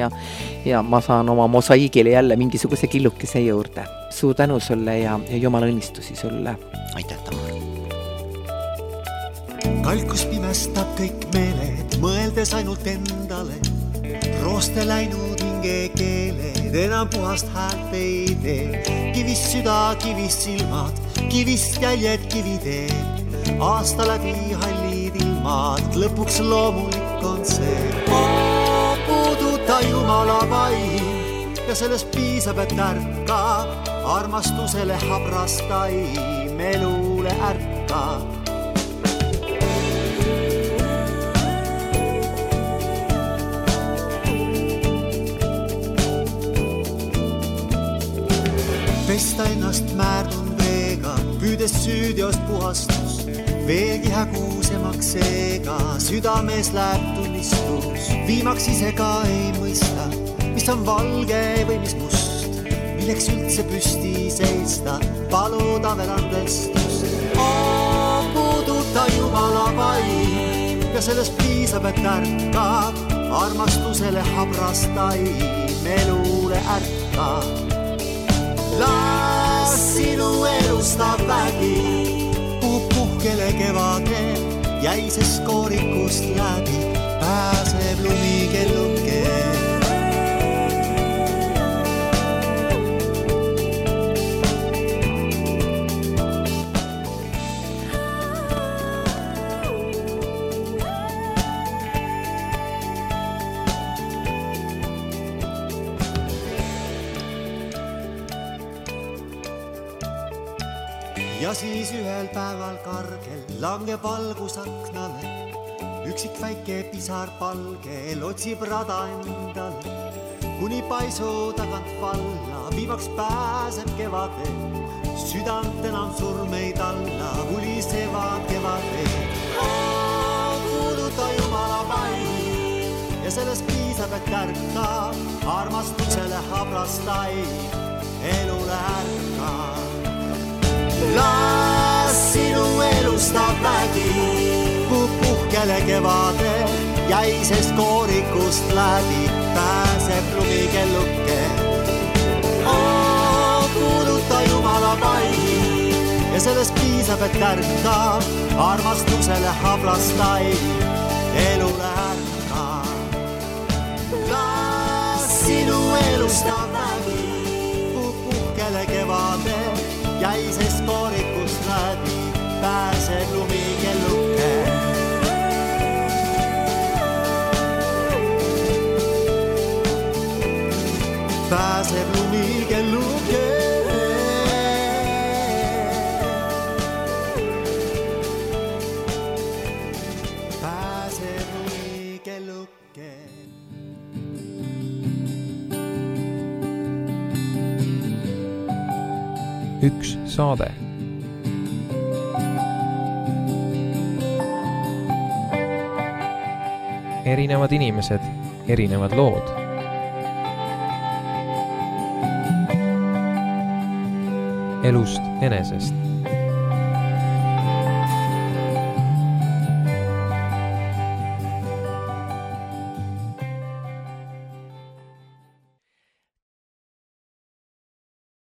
Speaker 2: ja ma saan oma mosaiigile jälle mingisuguse killukese juurde. Suur tänu sulle ja Jumala õnnistusi sulle.
Speaker 3: Aitäh, Tamar.
Speaker 4: Kalkus pimestab kõik meeled, mõeldes ainult endale. Rooste läinud hinge keeled, enam puhast häält ei tee. Kivist süda, kivist silmad, kivist jäljed kiviteed. Aasta läbi hallid ilmad, lõpuks loomulik on see. Puuduta Jumala vaim ja sellest piisab, et ärkab. Armastusele habrastaim, elule ärkab. Pesta ennast määrdunud veega, püüdes süüdiost puhastus. Veelgi hägusemaks seega, südames läheb tunnistus. Viimaks ise ka ei mõista, mis on valge või mis must. Milleks üldse püsti seista, paluda veel andestust. Puuduta Jumala vaim ja sellest piisab, et ärkab. Armastusele habrastaim, elule ärkab. Las sinu elustab vägi, puhkele kevade, jäisest koorikust läbi, pääseb lumikelluke. Ja siis ühel päeval kargel langeb valgus aknale. Üksik väike pisar palgel otsib rada endale. Kuni paisu tagant valla, viimaks pääseb kevade. Südant enam surmeid alla, hulisevad kevade. Kuuluta Jumala vaim ja sellest piisab, et ärkab. Armastusele habrastaim, elule ärkab. Las sinu elustab vägi, puhkele kevade, jäisest koorikust läbi, pääseb lumikelluke. Kuuluta Jumala vaim sellest piisab, et kärka, armastusele hablasta ei, elule ärka. Las sinu elustav nägi puhkele kevade, jäisest koorikust läbi pääseb lumikelluke. Pääseb lumikelluke. Pääseb lumikelluke.
Speaker 1: Üks saade. Erinevad inimesed, erinevad lood. Elust enesest.